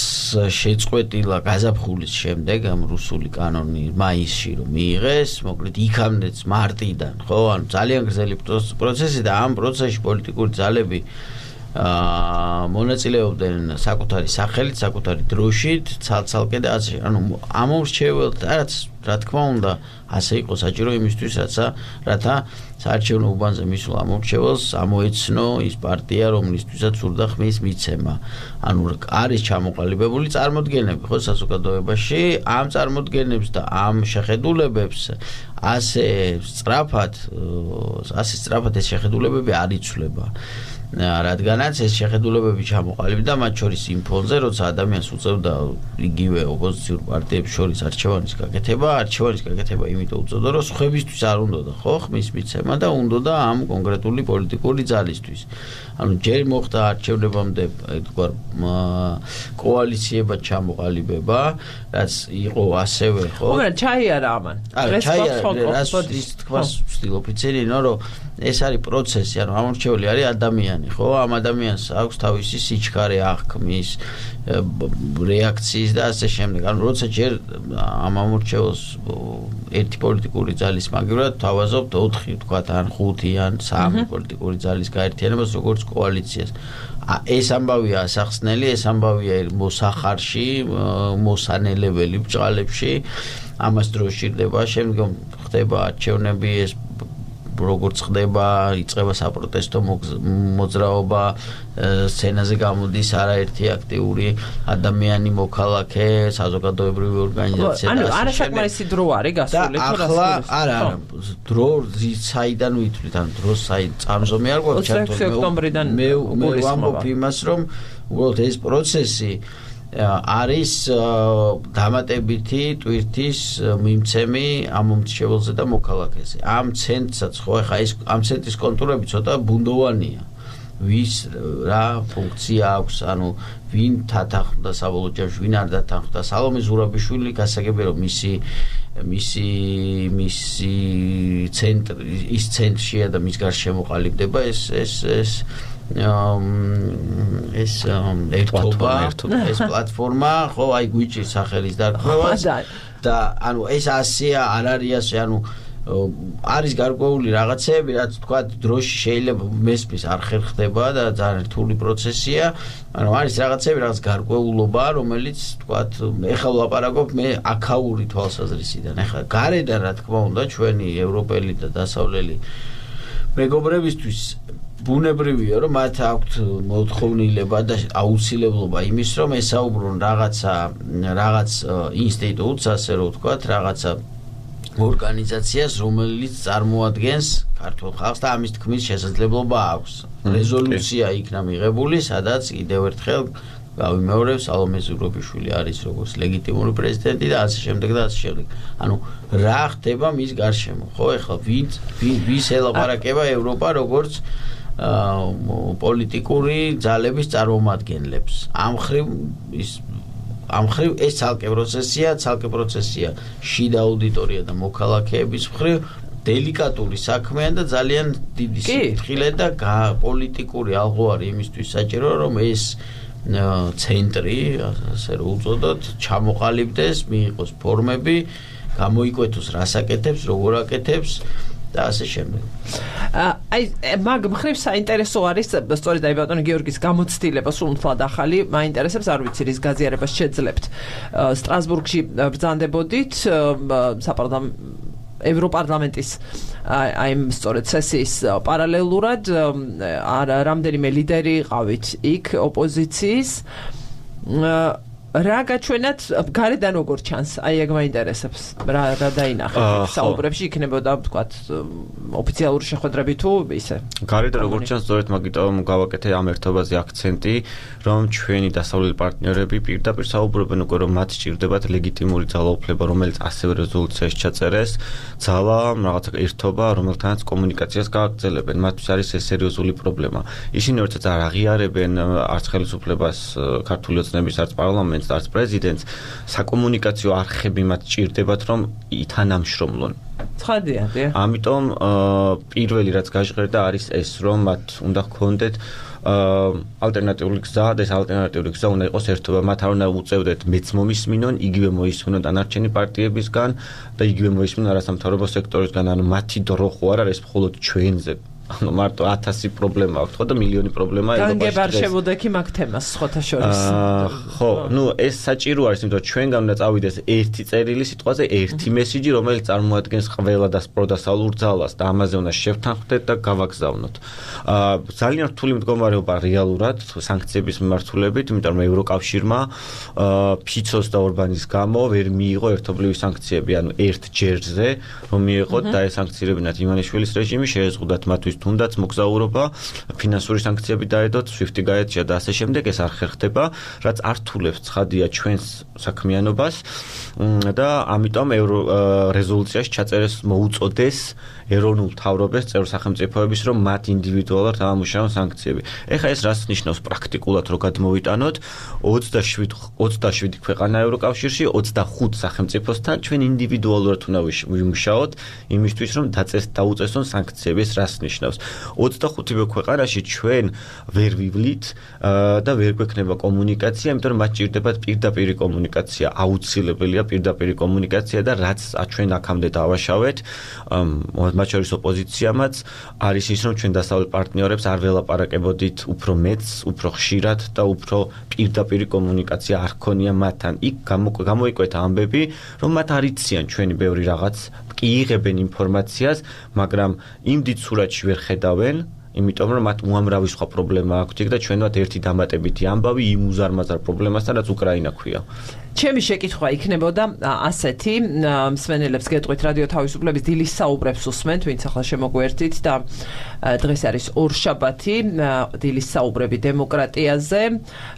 შეწყვეტილა გაზაფხულის შემდეგ ამ რუსული კანონი მაისში რომ მიიღეს, მოკლედ იქამდეც მარტიდან, ხო, ანუ ძალიან გრძელი პროცესი და ამ პროცესში პოლიტიკური ძალები აა მონაწილეობდნენ საკუთარი სახელით, საკუთარი დროშით, ცალ-ცალკე და ასე. ანუ ამორჩეველთ, რაც რა თქმა უნდა, ასე იყო საჭირო იმისთვის, რაცა რათა საარჩევნო უბანზე მისულ ამორჩეველს ამოეცნო ის პარტია, რომლისთვისაც სურდა ხმის მიცემა. ანუ არის ჩამოყალიბებული წარმოდგენები, ხო, საზოგადოებაში, ამ წარმოდგენებს და ამ შეხედულებებს ასე სწრაფად, ასე სწრაფად ეს შეხედულებები არ იცვლება. რადგანაც ეს შეხედულებები ჩამოყალიბდა მათ შორის იმ ფონზე, როცა ადამიანს უწევდა იგივე ოპოზიციურ პარტიებს შორის არჩევანის გაკეთება, არჩევანის გაკეთება იმიტომ უწევდა, რომ სხვებისთვის არ უნდოდა, ხო, ხმის მიცემა და უნდოდა ამ კონკრეტული პოლიტიკური ძალისთვის. ანუ ჯერ მოხდა არჩევნებამდე თქვა კოალიციებად ჩამოყალიბება, რაც იყო ასევე, ხო? მაგრამ ჩაიარა ამან. ეს ის თქვა სტილ ოფიცერი, რომ ეს არის პროცესი, ანუ ამორჩეული არის ადამიანი, ხო? ამ ადამიანს აქვს თავისი სიჩქარე აღქმის, რეაქციის და ასე შემდეგ. ანუ როცა ჯერ ამ ამორჩეულს ერთი პოლიტიკური ძალის მაგივრად თავაზობთ ოთხი, თქვა ან ხუთი ან სამი პოლიტიკური ძალის გაერთიანებას როგორც კოალიციას. ეს ამბავია ასახსნელი, ეს ამბავია მოსახარში, მოსანელებელი ბჭყალებში. ამას დრო სჭირდება, შემდგომ ხდება არჩევნები, ეს როგორც ხდება, იწყება საპროტესტო მოძრაობა, სცენაზე გამოდის არაერთი აქტიური ადამიანი, მოქალაქე, საზოგადოებრივი ორგანიზაცია. ანუ არასაკმარისი დრო არის გასული თუ რა? ახლა არა, არა, დრო საიდან ვითვლით, ანუ დრო საი წამზომი არ გვაქვს ჩართული. ოცდაექვსი ოქტომბრიდან მე მე ვამბობ იმას, რომ უბრალოდ ეს პროცესი არის დამატებითი ტვირთის მიმცემი ამ მომრჩეველზე და მოქალაქეზე. ამ ცენტრსაც ხო ახლა ეს ამ ცენტრის კონტურები ცოტა ბუნდოვანია. ვის რა ფუნქცია აქვს, ანუ ვინ თათანხმდა საბოლოო ჯამში, ვინ არ დათანხმდა. სალომე ზურაბიშვილი გასაგებია რომ მისი მისი მისი ცენტრი ის ცენტრშია და მის გარშემო ყალიბდება ეს ეს ეს ეს ერთობა, ეს პლატფორმა, ხო, აი გვიჭირს სახელის დარქმევას და ანუ ეს ასია არ არის ასე, ანუ არის გარკვეული რაღაცები, რაც თქვა დროში შეიძლება მესმის არ ხერხდება და ძალიან რთული პროცესია, მაგრამ არის რაღაცები, რაღაც გარკვეულობა, რომელიც თქვა ეხლა ვლაპარაკობ მე აქაური თვალსაზრისიდან. ეხლა გარედან რა თქმა უნდა ჩვენი ევროპელი და დასავლელი მეგობრებისთვის ბუნებრივია, რომ მათ აქვთ მოთხოვნილება და აუცილებლობა იმის, რომ ესაუბრონ რაღაცა რაღაც ინსტიტუტს, ასე რომ ვთქვათ, რაღაცა ორგანიზაციას, რომელიც წარმოადგენს ქართულ ხალხს და ამის თქმის შესაძლებლობა აქვს. რეზოლუცია იქნა მიღებული, სადაც კიდევ ერთხელ გავიმეორებ, სალომე ზურაბიშვილი არის როგორც ლეგიტიმური პრეზიდენტი და ასე შემდეგ და ასე შემდეგ. ანუ რა ხდება მის გარშემო, ხო? ეხლა ვინ ვის ელაპარაკება ევროპა როგორც პოლიტიკური ძალების წარმომადგენლებს. ამ ხრივ ის ამ ხრივ ეს ცალკე პროცესია, ცალკე პროცესია შიდა აუდიტორია და მოქალაქეების მხრივ დელიკატური საქმეა და ძალიან დიდი სიფრთხილე და პოლიტიკური ალღოარი იმისთვის საჭირო, რომ ეს ცენტრი, ასე რომ უწოდოთ, ჩამოყალიბდეს, მიიღოს ფორმები, გამოიკვეთოს რას აკეთებს, როგორ აკეთებს და ასე შემდეგ. აი მაგ მხრივ საინტერესო არის სწორედ აი ბატონი გიორგის გამოცდილება სულ მთლად ახალი მაინტერესებს არ ვიცი რის გაზიარებას შეძლებთ. სტრასბურგში ბრძანდებოდით საპარლამენტო ევროპარლამენტის აი სწორედ სესიის პარალელურად რამდენიმე ლიდერი ყავით იქ ოპოზიციის რა გაჩვენათ გარედან როგორ ჩანს აი ეგ მაინტერესებს რა რა დაინახეთ საუბრებში იქნებოდა ვთქვათ ოფიციალური შეხვედრები თუ ისე გარედან როგორ ჩანს სწორედ მაგიტომ გავაკეთე ამ ერთობაზე აქცენტი რომ ჩვენი დასავლელი პარტნიორები პირდაპირ საუბრობენ უკვე რომ მათ სჭირდებათ ლეგიტიმური ძალაუფლება რომელიც ასევე რეზოლუციაში ჩაწერეს ძალა რაღაცა ერთობა რომელთანაც კომუნიკაციას გააგრძელებენ მათთვის არის ეს სერიოზული პრობლემა ისინი ერთად არ აღიარებენ არც ხელისუფლებას ქართული ოცნების არც პარლამენტს არც პრეზიდენტს საკომუნიკაციო არხები მათ ჭირდებათ რომ ითანამშრომლონ ცხადია დიახ ამიტომ პირველი რაც გაჟღერდა არის ეს რომ მათ უნდა ჰქონდეთ ალტერნატიული გზა და ეს ალტერნატიული გზა უნდა იყოს ერთობა მათ არ უნდა უწევდეთ მეც მომისმინონ იგივე მოისმინონ დანარჩენი პარტიებისგან და იგივე მოისმინონ არასამთავრობო სექტორისგან ანუ მათი დრო ხო არ არის მხოლოდ ჩვენზე ანუ მარტო ათასი პრობლემა აქვს ხო და მილიონი პრობლემა ევროპაში განგებარშებოდექი მაგ თემას სხვათა შორის ხო ნუ ეს საჭირო არის იმიტომ რომ ჩვენგან უნდა წავიდეს ერთი წერილი სიტყვაზე ერთი მესიჯი რომელიც წარმოადგენს ყველა დასპროდასალურ ძალას და ამაზე უნდა შევთანხმდეთ და გავაგზავნოთ ძალიან რთული მდგომარეობა რეალურად სანქციების მიმართულებით იმიტომ რომ ევროკავშირმა ფიცოს და ორბანის გამო ვერ მიიღო ერთობლივი სანქციები ანუ ერთ ჯერზე რომ მიიღოთ და ეს სანქცირებინათ ივანიშვილის რეჟიმი შეეზღუდათ მათთვის თუნდაც მოგზაურობა, ფინანსური სანქციები დაედოთ, სვიფტი გაეწია და ასე შემდეგ ეს არ ხერხდება, რაც ართულებს ცხადია ჩვენს საქმიანობას და ამიტომ რეზოლუციაში ჩაწერეს მოუწოდეს ეროვნულ მთავრობებს წევრ სახელმწიფოების რომ მათ ინდივიდუალურად ამუშავონ სანქციები. ეხლა ეს რას ნიშნავს პრაქტიკულად რო გადმოვიტანოთ ოცდაშვიდი ქვეყანა ევროკავშირში ოცდახუთ სახელმწიფოსთან ჩვენ ინდივიდუალურად უნდა ვიმუშაოთ იმისთვის რომ დაწეს დაუწესონ სანქციები ეს რას ნიშნავს ოცდახუთი ქვეყანაში ჩვენ ვერ ვივლით და ვერ გვექნება კომუნიკაცია იმიტომ რომ მათ ჭირდებათ პირდაპირი კომუნიკაცია აუცილებელია პირდაპირი კომუნიკაცია და რაც ჩვენ აქამდე დავაშავეთ მათ შორის ოპოზიციამაც არის ის რომ ჩვენ დასავლელ პარტნიორებს არ ველაპარაკებოდით უფრო მეც უფრო ხშირად და უფრო პირდაპირი კომუნიკაცია არ ქონია მათთან იქ გამოიკვეთა ამბები რომ მათ არ იციან ჩვენი ბევრი რაღაც კი იღებენ ინფორმაციას მაგრამ იმ დიდ სურათში ვერ ხედავენ იმიტომ რომ მათ უამრავი სხვა პრობლემა აქვთ და ჩვენවත් ერთი დამატებითი ამბავი იმ უზარმაზარ პრობლემასთან რაც უკრაინა ქვია ჩემი შეკითხვა იქნებოდა ასეთი მსმენელებს გეტყვით რადიო თავისუფლების დილის საუბრებს უსმენთ ვინც ახლა შემოგვერთით და დღეს არის ორშაბათი დილის საუბრები დემოკრატიაზე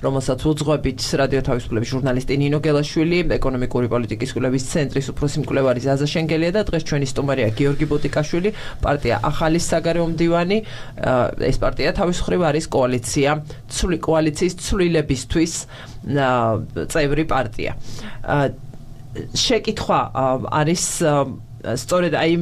რომელსაც უძღვებით რადიო თავისუფლების ჟურნალისტი ნინო გელაშვილი ეკონომიკური პოლიტიკის კვლევის ცენტრის უფროსი მკვლევარი ზაზა შენგელია და დღეს ჩვენი სტუმარია გიორგი ბუტიკაშვილი პარტია ახალი საგარეო მდივანი ეს პარტია თავის მხრივ არის კოალიცია ცვლი კოალიციის ცვლილებისთვის წევრი პარტია შეკითხვა არის სწორედ აი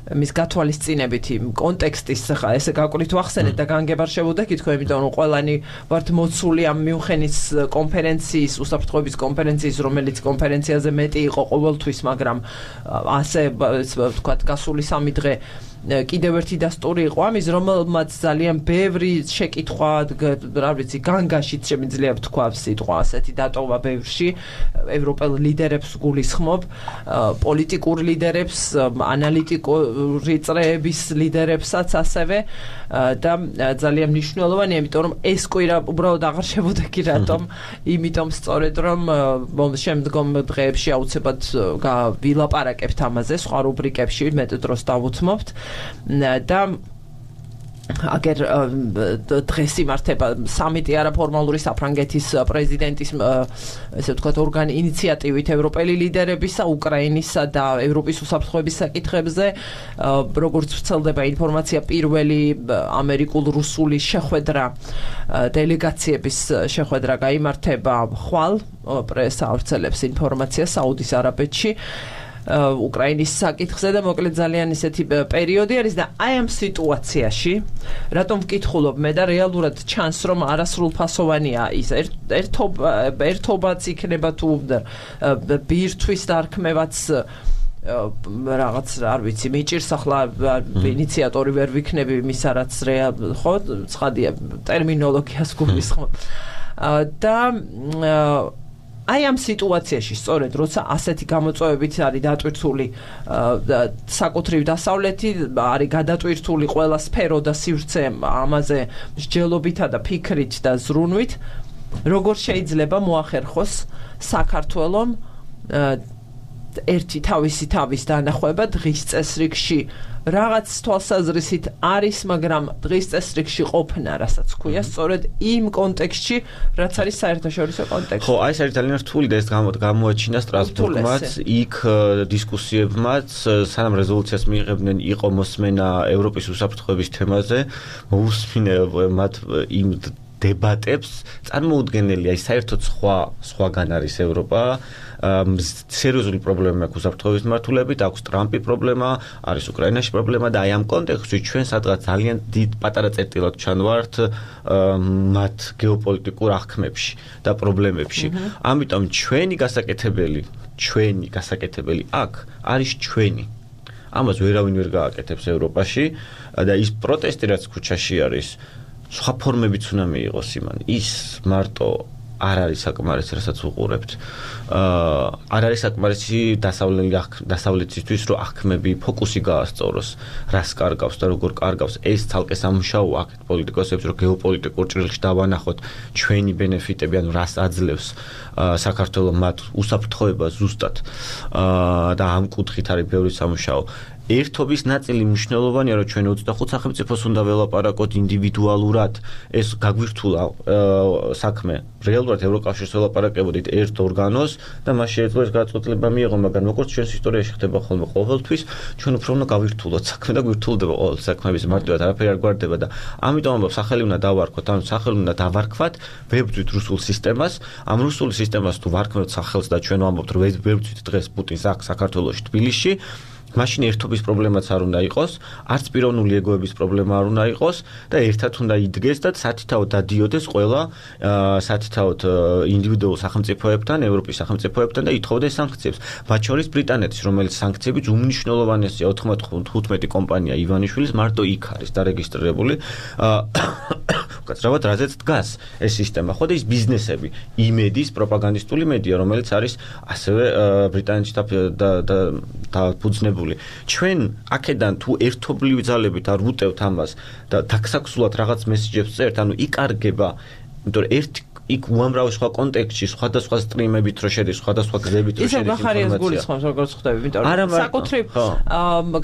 მის გათვალისწინებითი კონტექსტის ხა ესე გაკვირით ვახსენეთ და განგებარშებოდეთ თქო იმიტომ რომ ყველანი ვართ მოცული ამ მიუნხენის კონფერენციის უსაფრთხოების კონფერენციის რომელიც კონფერენციაზე მეტი იყო ყოველთვის მაგრამ ასე ვთქვათ გასული სამი დღე კიდევ ერთი დასტური იყო ამის რომელმაც ძალიან ბევრი შეკითხვა რა ვიცი განგაშით შემიძლია ვთქვა სიტყვა ასეთი დატოვა ბევრში ევროპელ ლიდერებს გულისხმობ პოლიტიკურ ლიდერებს ანალიტიკური წრეების ლიდერებსაც ასევე და ძალიან მნიშვნელოვანია იმიტომ რომ ეს კვირა უბრალოდ აღარ შევუდეგი რატომ იმიტომ სწორედ რომ შემდგომ დღეებში აუცილებლად ვილაპარაკებთ ამაზე სხვა რუბრიკებში მეტ დროს დავუთმობთ და აგერ დღეს იმართება სამიტი არაფორმალური საფრანგეთის პრეზიდენტის ესე ვთქვათ ორგანი ინიციატივით ევროპელი ლიდერებისა უკრაინისა და ევროპის უსაფრთხოების საკითხებზე როგორც ვრცელდება ინფორმაცია პირველი ამერიკულ-რუსული შეხვედრა დელეგაციების შეხვედრა გაიმართება ხვალ პრესა ავრცელებს ინფორმაციას საუდის არაბეთში უკრაინის საკითხზე და მოკლედ ძალიან ისეთი პერიოდი არის და აი ამ სიტუაციაში რატომ ვკითხულობ მე და რეალურად ჩანს რომ არასრულფასოვანია ის ერთობა ერთობაც იქნება თუ ბირთვის დარქმევაც რაღაც არ ვიცი მიჭირს ახლა ინიციატორი ვერ ვიქნები მისა რაც ხო ცხადია ტერმინოლოგიას გულისხმობ და აი ამ სიტუაციაში სწორედ როცა ასეთი გამოწვევებით არის დატვირთული საკუთრივ დასავლეთი არის გადატვირთული ყველა სფერო და სივრცე ამაზე მსჯელობითა და ფიქრით და ზრუნვით როგორ შეიძლება მოახერხოს საქართველომ ერთი თავისი თავის დანახვება დღის წესრიგში რაღაც თვალსაზრისით არის, მაგრამ დღის წესრიგში ყოფნა, რასაც ქვია, სწორედ იმ კონტექსტში, რაც არის საერთაშორისო კონტექსტი. ხო, აი ეს არის ძალიან რთული და ეს გამოაჩინა სტრასბურგმაც, იქ დისკუსიებმაც, სანამ რეზოლუციას მიიღებდნენ, იყო მოსმენა ევროპის უსაფრთხოების თემაზე, მოусმინე მათ იმ დებატებს, წარმოუდგენელია, ის საერთოდ სხვა სხვაგან არის ევროპა. სერიოზული პრობლემა აქვს უსაფრთხოების მმართველობით, აქვს ტრამპი პრობლემა, არის უკრაინაში პრობლემა და აი ამ კონტექსტში ჩვენ სადღაც ძალიან დიდ პატარა წერტილად ჩანვართ მათ გეოპოლიტიკურ აღქმებში და პრობლემებში. ამიტომ ჩვენი გასაკეთებელი, ჩვენი გასაკეთებელი აქ არის ჩვენი. ამას ვერავინ ვერ გააკეთებს ევროპაში და ის პროტესტი რაც ქუჩაში არის, სხვა ფორმებიც უნდა მიიღოს იმან. ის მარტო არ არის საკმარისი, რასაც უყურებთ. აა არ არის საკმარისი დასავლეთისთვის, რომ აღქმები ფოკუსი გაასწოროს, რას კარგავს და როგორ კარგავს. ეს ცალკე სამუშაო აქეთ პოლიტიკოსებს, რომ გეოპოლიტიკურ ჭრილში დავანახოთ ჩვენი ბენეფიტები, ანუ რას აძლევს საქართველოს მათ უსაფრთხოებას ზუსტად. აა და ამ კუთხით არის ბევრი სამუშაო. ერთობის ნაწილი მნიშვნელოვანია, რომ ჩვენ ოცდახუთ სახელმწიფოს უნდა ველაპარაკოთ ინდივიდუალურად, ეს გაგვირთულა საქმე. რეალურად ევროკავშირს ველაპარაკებოდით ერთ ორგანოს და მას შეიძლება ეს გადაწყვეტილება მიიღო, მაგრამ როგორც ჩვენს ისტორიაში ხდება ხოლმე ყოველთვის, ჩვენ უფრო უნდა გავირთულოთ საქმე და გვირთულდება ყოველ საქმეების მარტივად არაფერი არ გვარდება და ამიტომ ამბობ სახელი უნდა დავარქვათ, ანუ სახელი უნდა დავარქვათ, ვებძვით რუსულ სისტემას, ამ რუსულ სისტემას თუ ვარქმევთ სახელს და ჩვენ ვამბობთ, რომ ვებძვით დღეს პუტინს აქ საქართველოში, თბილისში, მაშინ ერთობის პრობლემაც არ უნდა იყოს, არც პიროვნული ეგოების პრობლემა არ უნდა იყოს და ერთად უნდა იდგეს და სათითაოდ დადიოდეს ყველა სათითაოდ ინდივიდუალურ სახელმწიფოებთან, ევროპის სახელმწიფოებთან და ითხოვდეს სანქციებს. მათ შორის ბრიტანეთის, რომელიც სანქციების უმნიშვნელოვანესია ოთხმოცდახუთი კომპანია ივანიშვილის მარტო იქ არის დარეგისტრირებული. უკაცრავად რაზეც დგას ეს სისტემა. ხო და ის ბიზნესები, იმედის პროპაგანდისტული მედია, რომელიც არის ასევე ბრიტანეთში დაფუძნებული. ჩვენ აქედან თუ ერთობლივი ძალებით არ ვუტევთ ამას და დაგსაქსულად რაღაც მესიჯებს წერთ, ანუ იკარგება, იმიტომ რომ ერთი იქ უამრავი სხვა კონტექსტში, სხვადასხვა სტრიმებით რო შედის, სხვადასხვა გზებით რო შედის ინფორმაცია. ისე გახარიას გულისხმობს, როგორც ხვდები, იმიტომ რომ საკუთრივ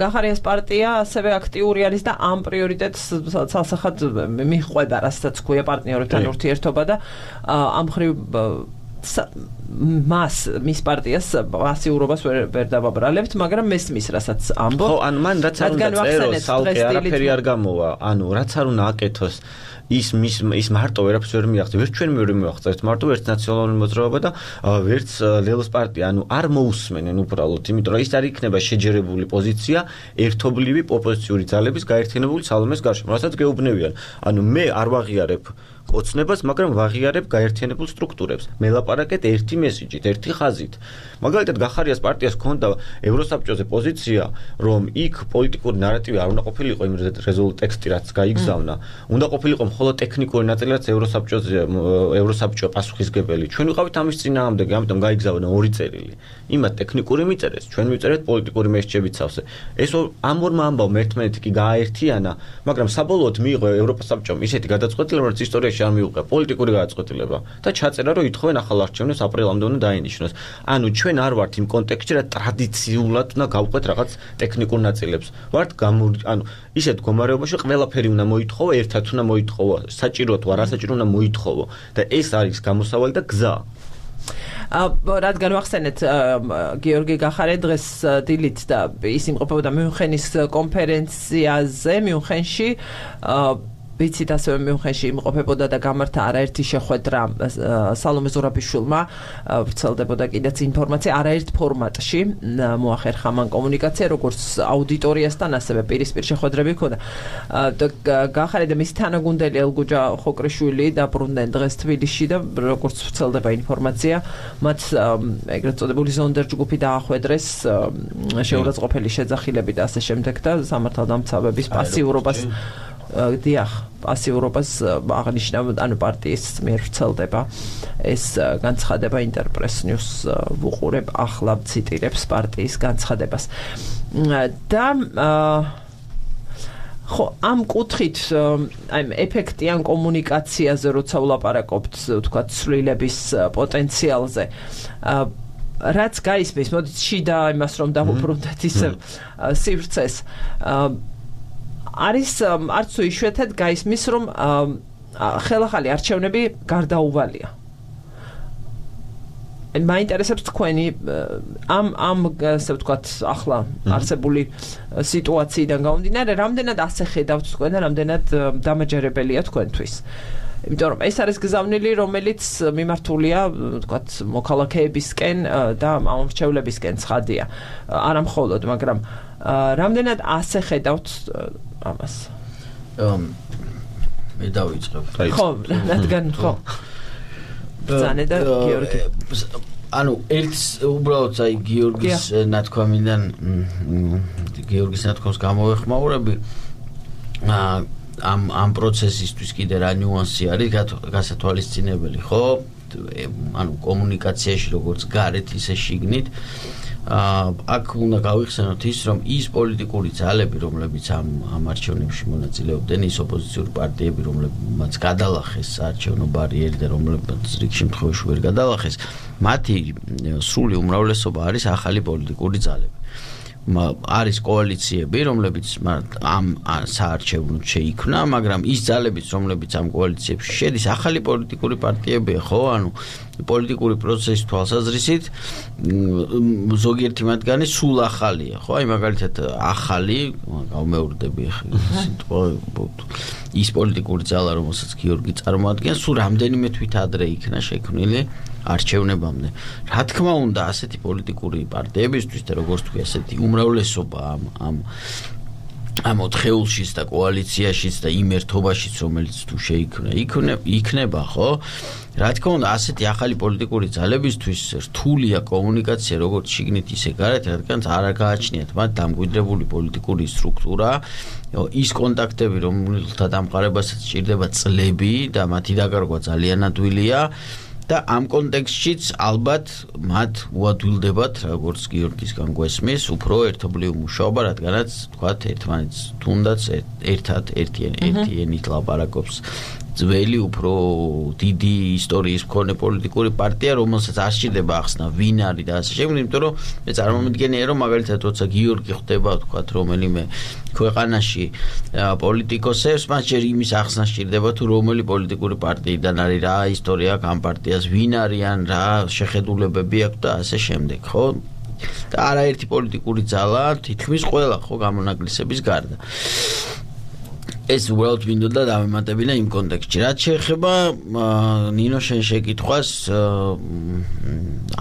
გახარიას პარტია ასევე აქტიური არის და ამ პრიორიტეტს ცალსახად მიჰყვება, რასაც ქვია პარტნიორებთან ურთიერთობა და ამ ხრივ მას მის პარტიას პასიურობას ვერ ვერ დავაბრალებთ, მაგრამ მესმის რასაც ამბობ. ხო, ან მან რაც არ უნდა წეროს, ალკე არაფერი არ გამოვა. ანუ რაც არ უნდა აკეთოს ის მის ის მარტო ვერაფერს ვერ მიაღწევს, ვერც ჩვენ ვერ მიაღწევთ მარტო ვერც ნაციონალური მოძრაობა და ვერც ლელოს პარტია, ანუ არ მოусმენენ უბრალოდ, იმიტომ რომ ის არ იქნება შეჯერებული პოზიცია ერთობლივი ოპოზიციური ძალების გაერთიანებული სალომეს გარშემო, რასაც გეუბნევიან. ანუ მე არ ვაღიარებ ოცნებას, მაგრამ ვაღიარებ გაერთიანებულ სტრუქტურებს. მე ლაპარაკეთ ერთი მესიჯით, ერთი ხაზით. მაგალითად, გახარიას პარტიას ჰქონდა ევროსაბჭოზე პოზიცია, რომ იქ პოლიტიკური ნარატივი არ უნდა ყოფილიყო იმ რეზოლუტ ტექსტი, რაც გაიგზავნა. უნდა ყოფილიყო მხოლოდ ტექნიკური ნაწილი, რაც ევროსაბჭოზე ევროსაბჭო პასუხისგებელი. ჩვენ ვიყავით ამის წინააღმდეგი, ამიტომ გაიგზავნა ორი წერილი. იმათ ტექნიკური მიწერეს, ჩვენ ვიწერეთ პოლიტიკური მესიჯებით სავსე. ეს ამ ორმა ამბავმა ერთმანეთი კი გააერთიანა, მაგრამ საბოლოოდ მიიღო ევროპასაბჭომ ისეთი გადაწყვეტილება, რომ ისტორიაში არ მიუღია პოლიტიკური გადაწყვეტილება და ჩაწერა, რომ ითხოვენ ახალ არჩევნებს აპრილამდე უნდა დაინიშნოს. ანუ ჩვენ არ ვართ იმ კონტექსტში, რა ტრადიციულად უნდა გავყვეთ რაღაც ტექნიკურ ნაწილებს. ვართ ანუ ისეთ მდგომარეობაში ყველაფერი უნდა მოითხოვო, ერთად უნდა მოითხოვო, საჭირო თუ არასაჭირო უნდა მოითხოვო და ეს არის გამოსავალი და გზა. რადგან ვახსენეთ გიორგი გახარე დღეს დილით და ის იმყოფებოდა მიუნხენის კონფერენციაზე მიუნხენში ვიცით ასევე მიუნხენში იმყოფებოდა და გამართა არაერთი შეხვედრა სალომე ზურაბიშვილმა ვრცელდებოდა კიდეც ინფორმაცია არაერთ ფორმატში მოახერხა მან კომუნიკაცია როგორც აუდიტორიასთან ასევე პირისპირ შეხვედრები ჰქონდა გახარე და მისი თანაგუნდელი ელგუჯა ხოკრიშვილი დაბრუნდნენ დღეს თბილისში და როგორც ვრცელდება ინფორმაცია მათ ეგრეთ წოდებული ზონდერ ჯგუფი დაახვედრეს შეურაცხყოფელი შეძახილები და ასე შემდეგ და სამართალდამცავების პასიურობას დიახ, პასიურობას აღნიშნა, ანუ პარტიის მიერ ვრცელდება ეს განცხადება ინტერპრეს ნიუს ვუყურებ ახლა ციტირებს პარტიის განცხადებას. და ხო, ამ კუთხით აი ეფექტიან კომუნიკაციაზე როცა ვლაპარაკობთ, ვთქვათ, ცვლილების პოტენციალზე რაც გაისმის, მოდით შიდა იმას რომ დავუბრუნდეთ ისე სივრცეს არის არც თუ იშვიათად გაისმის რომ ხელახალი არჩევნები გარდაუვალია. მაინტერესებს თქვენი ამ ამ ასე ვთქვათ ახლა არსებული სიტუაციიდან გამომდინარე რამდენად ასე ხედავთ თქვენ და რამდენად დამაჯერებელია თქვენთვის. იმიტომ რომ ეს არის გზავნილი რომელიც მიმართულია ვთქვათ მოქალაქეებისკენ და ამორჩევლებისკენ ცხადია. არა მხოლოდ, მაგრამ რამდენად ასე ხედავთ ამას? მე დავიწყებ. ხო, რადგან ხო. ბრძანება და გიორგი. ანუ ერთ უბრალოდ აი გიორგის ნათქვამიდან გიორგის ნათქვამს გამოვეხმაურები ამ ამ პროცესისთვის კიდე რა ნიუანსი არის გასათვალისწინებელი, ხო? ანუ კომუნიკაციაში როგორც გარეთ ისე შიგნით აქ უნდა გავიხსენოთ ის, რომ ის პოლიტიკური ძალები, რომლებიც ამ ამ არჩევნებში მონაწილეობდნენ, ის ოპოზიციური პარტიები, რომლებიც გადალახეს საარჩევნო ბარიერი და რომლებიც რიგ შემთხვევაში ვერ გადალახეს, მათი სრული უმრავლესობა არის ახალი პოლიტიკური ძალები. არის კოალიციები, რომლებიც ამ საარჩევნოდ შეიქმნა, მაგრამ ის ძალებიც, რომლებიც ამ კოალიციებში შედის, ახალი პოლიტიკური პარტიებია, ხო? ანუ პოლიტიკური პროცესის თვალსაზრისით ზოგიერთი მათგანი სულ ახალია, ხო? აი მაგალითად ახალი, გავმეორდები ახლა ის პოლიტიკური ძალა, რომელსაც გიორგი წარმოადგენს, სულ რამდენიმე თვით ადრე იქნა შექმნილი არჩევნებამდე. რა თქმა უნდა, ასეთი პოლიტიკური პარტიებისთვის და როგორც თქვი, ასეთი უმრავლესობა ამ ამ ამ ოთხეულშიც და კოალიციაშიც და იმ ერთობაშიც, რომელიც თუ შეიქმნა, იქნება, ხო? რა თქმა უნდა, ასეთი ახალი პოლიტიკური ძალებისთვის რთულია კომუნიკაცია, როგორც შიგნით, ისე გარეთ, რადგან არ გააჩნიათ მათ დამკვიდრებული პოლიტიკური სტრუქტურა, ის კონტაქტები, რომელთა დამყარებასაც სჭირდება წლები და მათი დაკარგვა ძალიან ადვილია. და ამ კონტექსტშიც ალბათ მათ უადვილდებათ, როგორც გიორგისგან გვესმის, უფრო ერთობლივი მუშაობა, რადგანაც თქვათ ერთმანეთს თუნდაც ერთად ერთიანი ერთიანით ლაპარაკობს ძველი უფრო დიდი ისტორიის მქონე პოლიტიკური პარტია, რომელსაც არ სჭირდება ახსნა ვინ არის და ასე შემდეგ, იმიტომ რომ მე წარმომიდგენია რომ მაგალითად როცა გიორგი ხვდება ვთქვათ რომელიმე ქვეყანაში პოლიტიკოსებს, მას ჯერ იმის ახსნა სჭირდება თუ რომელი პოლიტიკური პარტიიდან არის, რა ისტორია აქვს ამ პარტიას, ვინ არიან, რა შეხედულებები აქვს და ასე შემდეგ, ხო? და არაერთი პოლიტიკური ძალა თითქმის ყველა ხო გამონაკლისების გარდა. ეს უბრალოდ მინდოდა დავემატებინა იმ კონტექსტში. რაც შეეხება ნინო შენ შეკითხვას,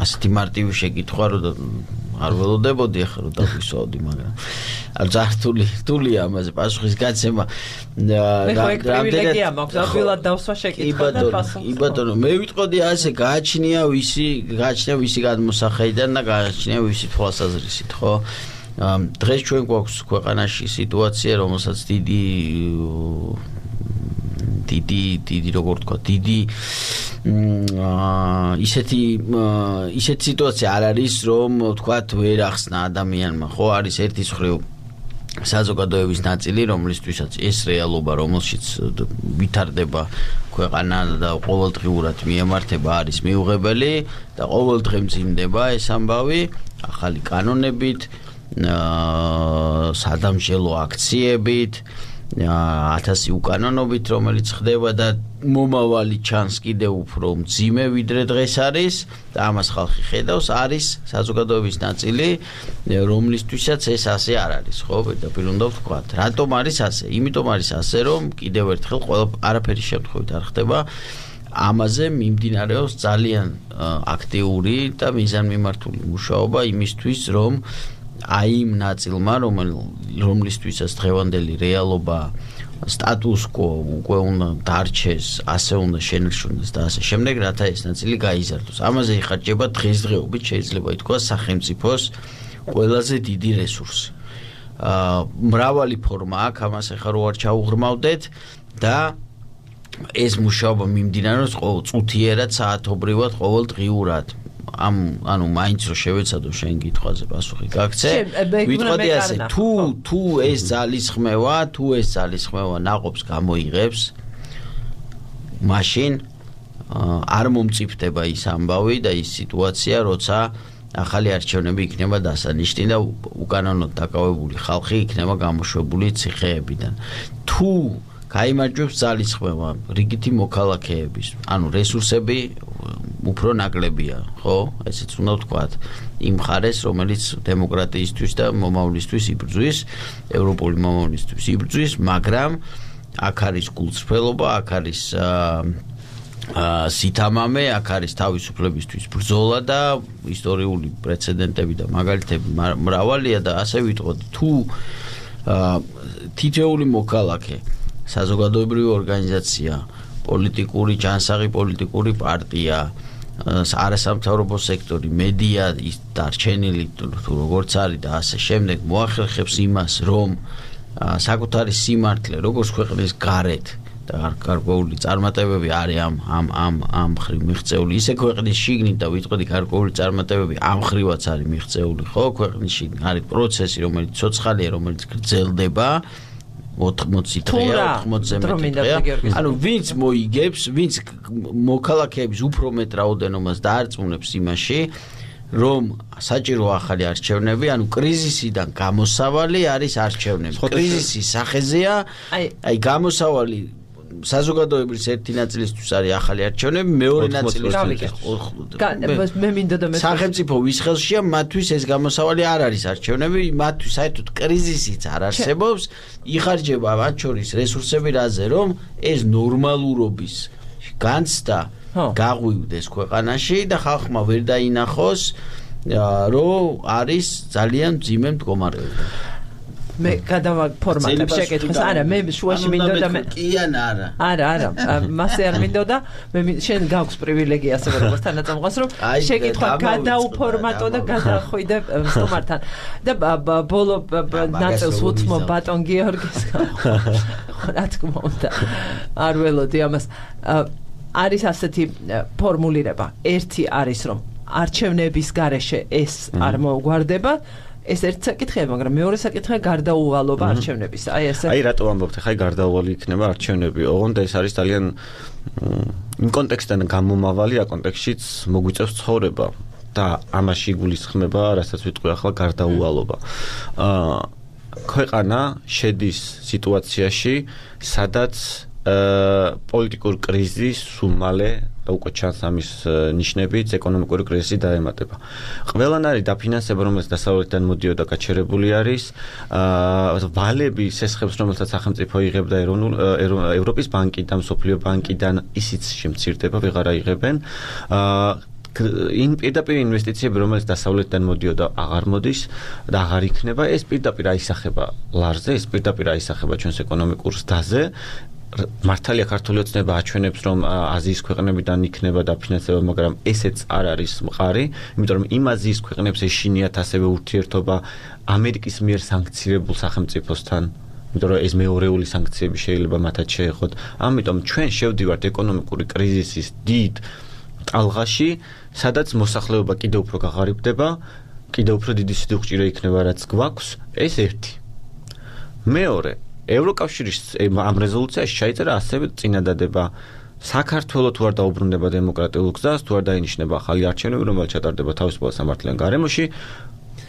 ასეთი მარტივი შეკითხვა რომ არ ველოდებოდი ახლა რომ დავისვავდი, მაგრამ არ ზართული რთულია ამაზე პასუხის გაცემა. რამდენად მაქვს აღვილად დავსვა შეკითხვა და პასუხი. კი ბატონო, მე ვიტყოდი ასე, გააჩნია ვისი, გააჩნია ვისი გადმოსახედიდან და გააჩნია ვისი თვალსაზრისით, ხო? დღეს ჩვენ გვაქვს ქვეყანაში სიტუაცია, რომელსაც დიდი დიდი დიდი როგორ თქვა, დიდი ისეთი ისეთი სიტუაცია არ არის, რომ თქვათ ვერ ახსნა ადამიანმა, ხო, არის ერთის მხრივ საზოგადოების ნაწილი, რომლისთვისაც ეს რეალობა, რომელშიც ვითარდება ქვეყანა და ყოველდღიურად მიემართება არის მიუღებელი და ყოველდღე მძიმდება ეს ამბავი ახალი კანონებით, სადამსჯელო აქციებით, ათასი უკანონობით, რომელიც ხდება და მომავალი ჩანს კიდევ უფრო მძიმე ვიდრე დღეს არის და ამას ხალხი ხედავს, არის საზოგადოების ნაწილი, რომლისთვისაც ეს ასე არ არის, ხო, პირდაპირ უნდა ვთქვათ. რატომ არის ასე? იმიტომ არის ასე, რომ კიდევ ერთხელ ყველა არაფერი შემთხვევით არ ხდება. ამაზე მიმდინარეობს ძალიან აქტიური და მიზანმიმართული მუშაობა იმისთვის, რომ აი იმ ნაწილმა, რომლისთვისაც დღევანდელი რეალობა status quo უკვე უნდა დარჩეს, ასე უნდა შენერჩუნდეს და ასე შემდეგ, რათა ეს ნაწილი გაიზარდოს. ამაზე იხარჯება დღესდღეობით შეიძლება ითქვას სახელმწიფოს ყველაზე დიდი რესურსი. მრავალი ფორმა აქვს, ამას ახლა რო არ ჩაუღრმავდეთ და ეს მუშაობა მიმდინარეობს წუთიერად, საათობრივად, ყოველდღიურად. ამ ანუ მაინც რო შევეცადო შენ კითხვაზე პასუხი გაგცე. ვიტყოდი ასე, თუ თუ ეს ძალისხმევა, თუ ეს ძალისხმევა ნაყოფს გამოიღებს, მაშინ არ მომწიფდება ის ამბავი და ის სიტუაცია, როცა ახალი არჩევნები იქნება დასანიშნი და უკანონოდ დაკავებული ხალხი იქნება გამოშვებული ციხეებიდან. თუ გაიმარჯვებს ძალისხმევა რიგითი მოქალაქეების, ანუ რესურსები უფრო ნაკლებია, ხო? ესეც უნდა ვთქვათ. იმ მხარეს, რომელიც დემოკრატიისთვის და მომავლისთვის იბრძვის, ევროპული მომავლისთვის იბრძვის, მაგრამ აქ არის გულწრფელობა, აქ არის სითამამე, აქ არის თავისუფლებისთვის ბრძოლა და ისტორიული პრეცედენტები და მაგალითები მრავალია და ასე ვიტყოდი, თუ თითოეული მოქალაქე საზოგადოებრივი ორგანიზაცია, პოლიტიკური ჯანსაღი, პოლიტიკური პარტია, არასამთავრობო სექტორი, მედია, დარჩენილი თუ როგორც არის და ასე შემდეგ მოახერხებს იმას, რომ საკუთარი სიმართლე, როგორც ქვეყნის გარეთ და გარკვეული წარმატებები არის ამ ამ ამ ამ მხრივ მიღწეული, ისე ქვეყნის შიგნით და ვიტყოდი გარკვეული წარმატებები ამ მხრივაც არის მიღწეული, ხო, ქვეყნის შიგნით არის პროცესი, რომელიც ცოცხალია, რომელიც გრძელდება ოთხმოცი დღეა, ოთხმოცზე მეტი დღეა. ანუ ვინც მოიგებს, ვინც მოქალაქეების უფრო მეტ რაოდენობას დაარწმუნებს იმაში, რომ საჭირო ახალი არჩევნები, ანუ კრიზისიდან გამოსავალი არის არჩევნები. კრიზისის სახეზეა, აი გამოსავალი საზოგადოების ერთი ნაწილისთვის არის ახალი არჩევნები, მეორე ნაწილისთვის მე მინდოდა მე სახელმწიფო ვის ხელშია, მათთვის ეს გამოსავალი არ არის არჩევნები, მათთვის საერთოდ კრიზისიც არ არსებობს, იხარჯება მათ შორის რესურსები რაზე, რომ ეს ნორმალურობის განცდა გაღვივდეს ქვეყანაში და ხალხმა ვერ დაინახოს, რომ არის ძალიან მძიმე მდგომარეობა. მე გადავა ფორმატებს შეკითხოს. არა, მე შუაში მინდოდა მე კი ან არა. არა, არა, მასე არ მინდოდა. მე შენ გაქვს პრივილეგია ასე როგორც თანაწამყვას, რომ შეკითხვა გადაუფორმატო და გადახვიდე სტუმართან. და ბოლო ნაწილს უთმო ბატონ გიორგის. რა თქმა უნდა. არ ველოდი ამას. არის ასეთი ფორმულირება. ერთი არის რომ არჩევნების გარეშე ეს არ მოგვარდება. ეს ერთ საკითხია, მაგრამ მეორე საკითხია გარდაუვალობა არჩევნების. აი ესე. აი რატო ამბობთ, ხაი გარდაუვალი იქნება არჩევნები. ოღონდ ეს არის ძალიან იმ კონტექსტიდან გამომავალი, ა კონტექსტშიც მოგვიწევს ცხოვრება და ამაში გულისხმება, რასაც ვიტყვი ახლა გარდაუვალობა. აა ქვეყანა შედის სიტუაციაში, სადაც პოლიტიკურ კრიზისს უმალე და უკვე ჩანს ამის ნიშნებიც ეკონომიკური კრიზისი დაემატება. ყველანაირი დაფინანსება, რომელიც დასავლეთიდან მოდიოდა, გაჩერებული არის. აა ვალები სესხებს, რომელსაც სახელმწიფო იღებდა ევროპის ბანკიდან, მსოფლიო ბანკიდან, ისიც შემცირდება, ვეღარ აიღებენ. აა იმ პირდაპირ ინვესტიციები, რომელიც დასავლეთიდან მოდიოდა, აღარ მოდის და აღარ იქნება. ეს პირდაპირ აისახება ლარზე, ეს პირდაპირ აისახება ჩვენს ეკონომიკურ ზრდაზე. მართალია ქართული ოცნება აჩვენებს, რომ აზიის ქვეყნებიდან იქნება დაფინანსება, მაგრამ ესეც არ არის მყარი, იმიტომ რომ იმ აზიის ქვეყნებს ეშინიათ ასევე ურთიერთობა ამერიკის მიერ სანქცირებულ სახელმწიფოსთან, იმიტომ რომ ეს მეორეული სანქციები შეიძლება მათაც შეეხოთ. ამიტომ ჩვენ შევდივართ ეკონომიკური კრიზისის დიდ ტალღაში, სადაც მოსახლეობა კიდევ უფრო გაღარიბდება, კიდევ უფრო დიდი სიდუხჭირე იქნება, რაც გვაქვს, ეს ერთი. მეორე, ევროკავშირის ამ რეზოლუციაში ჩაიწერა ასევე წინადადება საქართველო თუ არ დაუბრუნდება დემოკრატიულ გზას, თუ არ დაინიშნება ახალი არჩევნები, რომელიც ჩატარდება თავისუფალ სამართლიან გარემოში,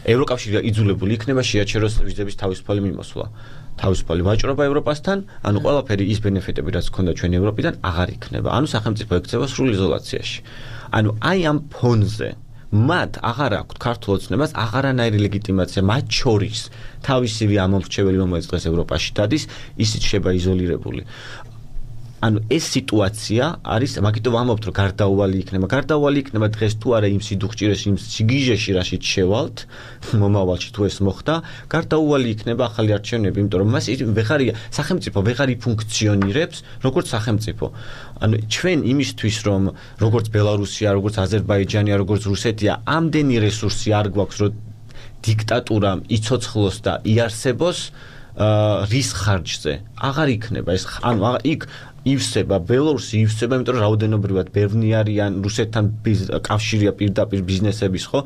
ევროკავშირი იძულებული იქნება შეაჩეროს ვიზების თავისუფალი მიმოსვლა. თავისუფალი ვაჭრობა ევროპასთან, ანუ ყველაფერი ის ბენეფიტები, რაც ჰქონდა ჩვენ ევროპიდან, აღარ იქნება. ანუ სახელმწიფო ექცევა სრულ იზოლაციაში. ანუ აი ამ ფონზე მათ აღარ აქვთ ქართულ ოცნებას აღარანაირი ლეგიტიმაცია, მათ შორის თავისივე ამომრჩეველი, რომელიც დღეს ევროპაში დადის, ისიც შეება იზოლირებული. ანუ ეს სიტუაცია არის, მაგიტომ ვამბობთ, რომ გარდაუვალი იქნება. გარდაუვალი იქნება დღეს თუ არა იმ სიდუხჭირეში, იმ სიგიჟეში, რაშიც შევალთ, მომავალში თუ ეს მოხდა, გარდაუვალი იქნება ახალი არჩევნები, იმიტომ რომ მას ვეღარია სახელმწიფო ვეღარ იფუნქციონირებს, როგორც სახელმწიფო. ანუ ჩვენ იმისთვის, რომ როგორც ბელარუსია, როგორც აზერბაიჯანია, როგორც რუსეთია, ამდენი რესურსი არ გვაქვს, რომ დიქტატურამ იცოცხლოს და იარსებოს რის ხარჯზე. აღარ იქნება ეს, ანუ იქ ივსება ბელორუსი ივსება, იმიტომ რომ რაოდენობრივად ბევრი არიან, რუსეთთან კავშირია პირდაპირ ბიზნესების, ხო?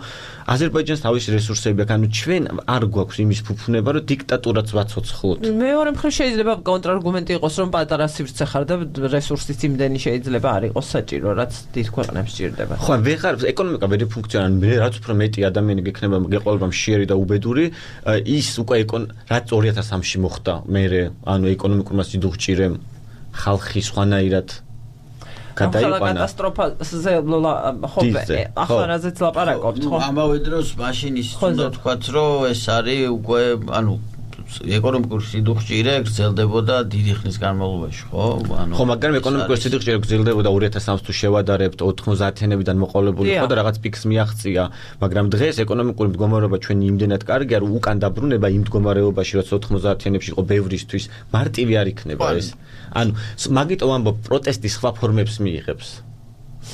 აზერბაიჯანს თავისი რესურსები აქვს, ანუ ჩვენ არ გვაქვს იმის ფუფუნება, რომ დიქტატურაც ვაცოცხლოთ. მეორე მხრივ შეიძლება კონტრარგუმენტი იყოს, რომ პატარა სივრცე ხარ და რესურსის იმდენი შეიძლება არ იყოს საჭირო, რაც დიდ ქვეყნებს სჭირდება. ხო, ვეღარ ეკონომიკა ვერ ფუნქციონირებს, რაც უფრო მეტი ადამიანი გექნება, გეყოლება მშიერი და უბედური, ის უკვე რაც ორი ათას სამში მოხდა, მე ანუ ეკონომიკურმა სიდუხჭირემ ხალხი სხვანაირად გადაიყვანა. კატასტროფაზე ხო, ახლა რაზეც ლაპარაკობთ, ხო? ამავე დროს მაშინ ის უნდა თქვათ, რომ ეს არის უკვე, ანუ ეკონომიკური სიდუხჭირე გრძელდებოდა დიდი ხნის განმავლობაში, ხო? ანუ ხო, მაგრამ ეკონომიკური სიდუხჭირე გრძელდებოდა ორი ათას სამს თუ შევადარებთ ოთხმოცდაათიანებიდან მოყოლებული, ხო და რაღაც პიკს მიაღწია, მაგრამ დღეს ეკონომიკური მდგომარეობა ჩვენი იმდენად კარგია, რომ უკან დაბრუნება იმ მდგომარეობაში, რაც ოთხმოცდაათიანებში იყო ბევრისთვის, მარტივი არ იქნება ეს. ანუ მაგიტომ ამბობ პროტესტის სხვა ფორმებს მიიღებს.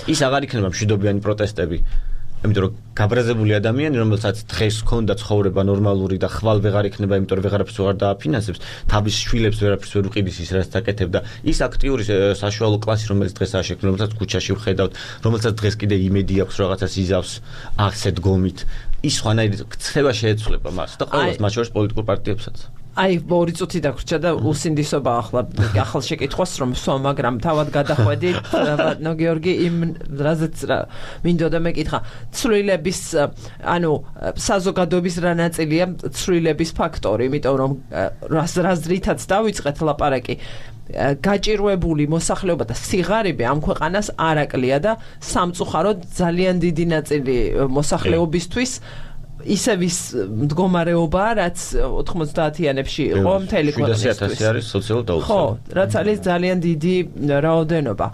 ის აღარ იქნება მშვიდობიანი პროტესტები. იმიტომ რომ გაბრაზებული ადამიანი, რომელსაც დღეს ჰქონდა ცხოვრება ნორმალური და ხვალ ვეღარ იქნება, იმიტომ რომ ვეღარაფერს ვეღარ დააფინანსებს, თავის შვილებს ვერაფერს ვერ უყიდის ის, რაც აკეთებდა. ის აქტიური საშუალო კლასი, რომელიც დღეს აღშექმნა, რომელსაც ქუჩაში ვხედავთ, რომელსაც დღეს კიდე იმედი აქვს რაღაცას იზავს ასეთ გომით, ის სხვანაირი ქცევა შეეცვლება მას და ყველას, მათ შორის პოლიტიკურ პარტიებსაც. აი, ორი წუთი დაგვრჩა და უსინდისობა ახლა ახალ შეკითხვას რომ სვა, მაგრამ თავად გადახვედით, ბატონო გიორგი, იმ რაზეც მინდოდა მეკითხა, ცვლილების, ანუ საზოგადოების რა ნაწილია ცვლილების ფაქტორი, იმიტომ რომ რაზრითაც დავიწყეთ ლაპარაკი, გაჭირვებული მოსახლეობა და სიღარიბე ამ ქვეყანას არ აკლია და სამწუხაროდ ძალიან დიდი ნაწილი მოსახლეობისთვის ისევ ის მდგომარეობა, რაც ოთხმოცდაათიანებში იყო მთელი ქვეყნისთვის. შვიდასი ათასი არის სოციალურად დაუცველი. ხო, რაც არის ძალიან დიდი რაოდენობა.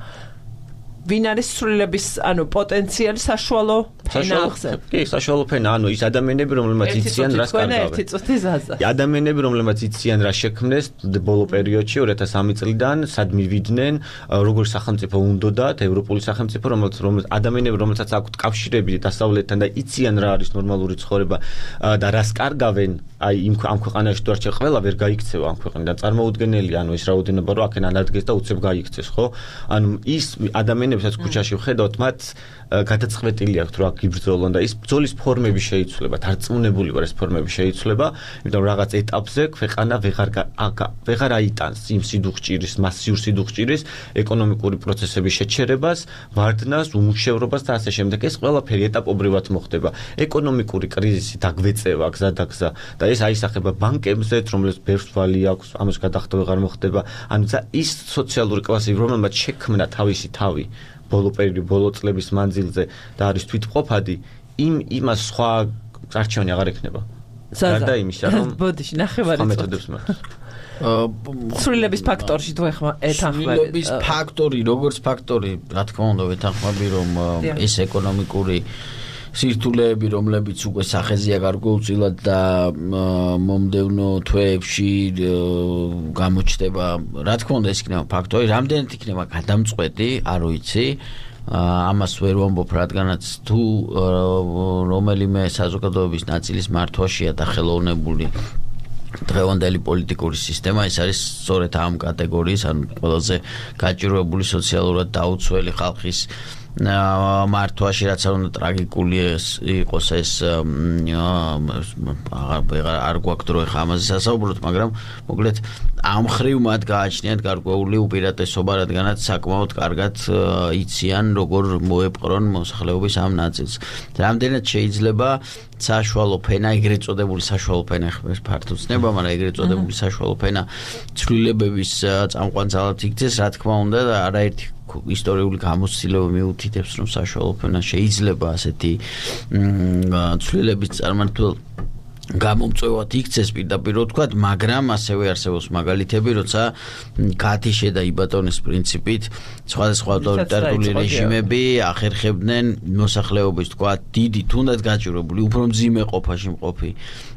ვინ არის ცვლილების, ანუ პოტენციალი საშუალო ფენა ახსენ? კი, საშუალო ფენა, ანუ ის ადამიანები, რომლებმაც იციან რას კარგავენ. ერთი წუთი ზაზა. ადამიანები, რომლებმაც იციან რა შექმნეს ბოლო პერიოდში ორი ათას სამი წლიდან, სად მივიდნენ, როგორ სახელმწიფო უნდოდათ, ევროპული სახელმწიფო, რომელსაც რომელსაც ადამიანები, რომელსაც აქვთ კავშირები დასავლეთთან და იციან რა არის ნორმალური ცხოვრება და რას კარგავენ, აი იმ ამ ქვეყანაში თუ არ შეიძლება ყველა ვერ გაიქცევა ამ ქვეყნიდან. წარმოუდგენელია, ანუ ეს რაოდენობა რომ აქედან ადგეს და უცებ გაიქცეს, ხო? ანუ ის ადამიანებსაც ქუჩაში ვხედავთ, მათ გადაწყვეტილი აქვს რომ აქ იბრძოლონ და ის ბრძოლის ფორმები შეიცვლება, დარწმუნებული ვარ ეს ფორმები შეიცვლება, იმიტომ რომ რაღაც ეტაპზე ქვეყანა ვეღარ ვეღარ აიტანს იმ სიდუხჭირის, მასიურ სიდუხჭირის, ეკონომიკური პროცესების შეჩერებას, ვარდნას, უმუშევრობას და ასე შემდეგ. ეს ყველაფერი ეტაპობრივად მოხდება. ეკონომიკური კრიზისი დაგვეწევა გზადაგზა და ეს აისახება ბანკებზეც, რომლებიც ბევრს ვალი აქვს, ამას გადახდა ვეღარ მოხდება. ანუ ის სოციალური კლასი, რომელმაც შექმნა თავისი თავი ბოლო პერიოდი, ბოლო წლების მანძილზე და არის თვითმყოფადი, იმ იმას სხვა არჩევანი აღარ ექნება. გარდა იმისა, რომ ბოდიში ნახევარი მეთოდებს მაქვს. სრულების ფაქტორში თუ ეხმა ეთანხმებით. სრულების ფაქტორი, როგორც ფაქტორი, რა თქმა უნდა, ვეთანხმები, რომ ეს ეკონომიკური სირთულეები, რომლებიც უკვე სახეზეა გარკვეულწილად და მომდევნო თვეებში გამოჩნდება, რა თქმა უნდა, ეს იქნება ფაქტორი, რამდენად იქნება გადამწყვეტი, არ ვიცი. ამას ვერ ვამბობ, რადგანაც თუ რომელიმე საზოგადოების ნაწილის მართვაშია დახელოვნებული დღევანდელი პოლიტიკური სისტემა, ეს არის სწორედ ამ კატეგორიის, ანუ ყველაზე გაჭირვებული სოციალურად დაუცველი ხალხის მართვაში, რაც არ უნდა ტრაგიკული იყოს ეს არ გვაქვს დრო ხა ამაზე სასაუბროთ, მაგრამ მოკლედ ამ ხრივ მათ გააჩნიათ გარკვეული უპირატესობა, რადგანაც საკმაოდ კარგად იციან, როგორ მოეპყრონ მოსახლეობის ამ ნაწილს. რამდენად შეიძლება საშუალო ფენა, ეგრეთ წოდებული საშუალო ფენა, ხმის ფართო ცნება, მაგრამ ეგრეთ წოდებული საშუალო ფენა ცვლილებების წამყვანძალად იქცეს, რა თქმა უნდა, და არაერთი ისტორიული გამოცდილება მიუთითებს, რომ საშუალო ფენა შეიძლება ასეთი ცვლილების წარმართულ გამომწვევად იქცეს პირდაპირ ვთქვათ, მაგრამ ასევე არსებობს მაგალითები, როცა გათიშე და იბატონის პრინციპით სხვადასხვა ავტორიტარული რეჟიმები ახერხებდნენ მოსახლეობის ვთქვათ, დიდი თუნდაც გაჭირვებული, უფრო მძიმე ყოფაში მყოფი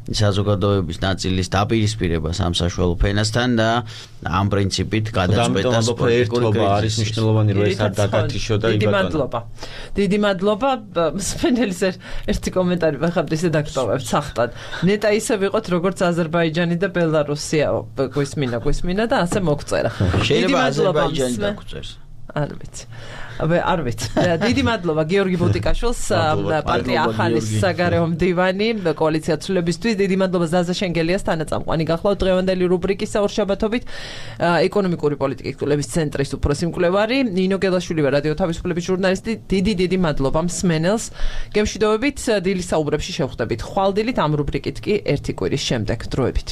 საზოგადოების ნაწილის დაპირისპირებას ამ საშუალო ფენასთან და ამ პრინციპით გადაწყვეტას პოლიტიკური არის მნიშვნელოვანი, რომ ეს არ დაგათიშო და დიდი მადლობა. დიდი მადლობა. სპენელის ერთი კომენტარი ვახავთ ისე დაგტოვებთ სახტად. ნეტა ისე ვიყოთ, როგორც აზერბაიჯანი და ბელარუსია, გვისმინა, გვისმინა და ასე მოგწერა. შეიძლება აზერბაიჯანი დაგწერს. არ ვიცი. აბა არ ვიცი. დიდი მადლობა გიორგი ბუტიკაშვილს, პარტია ახალის საგარეო მდივანი, კოალიცია ცვლილებისთვის. დიდი მადლობა ზაზა შენგელიას, თანაწამყვანი გახლავთ დღევანდელი რუბრიკის ორშაბათობით. ეკონომიკური პოლიტიკის კვლევის ცენტრის უფროსი მკვლევარი ნინო გელაშვილი რადიო თავისუფლების ჟურნალისტი. დიდი დიდი მადლობა მსმენელს. გემშვიდობებით დილის საუბრებში შევხვდებით. ხვალ დილით ამ რუბრიკით კი ერთი კვირის შემდეგ დროებით.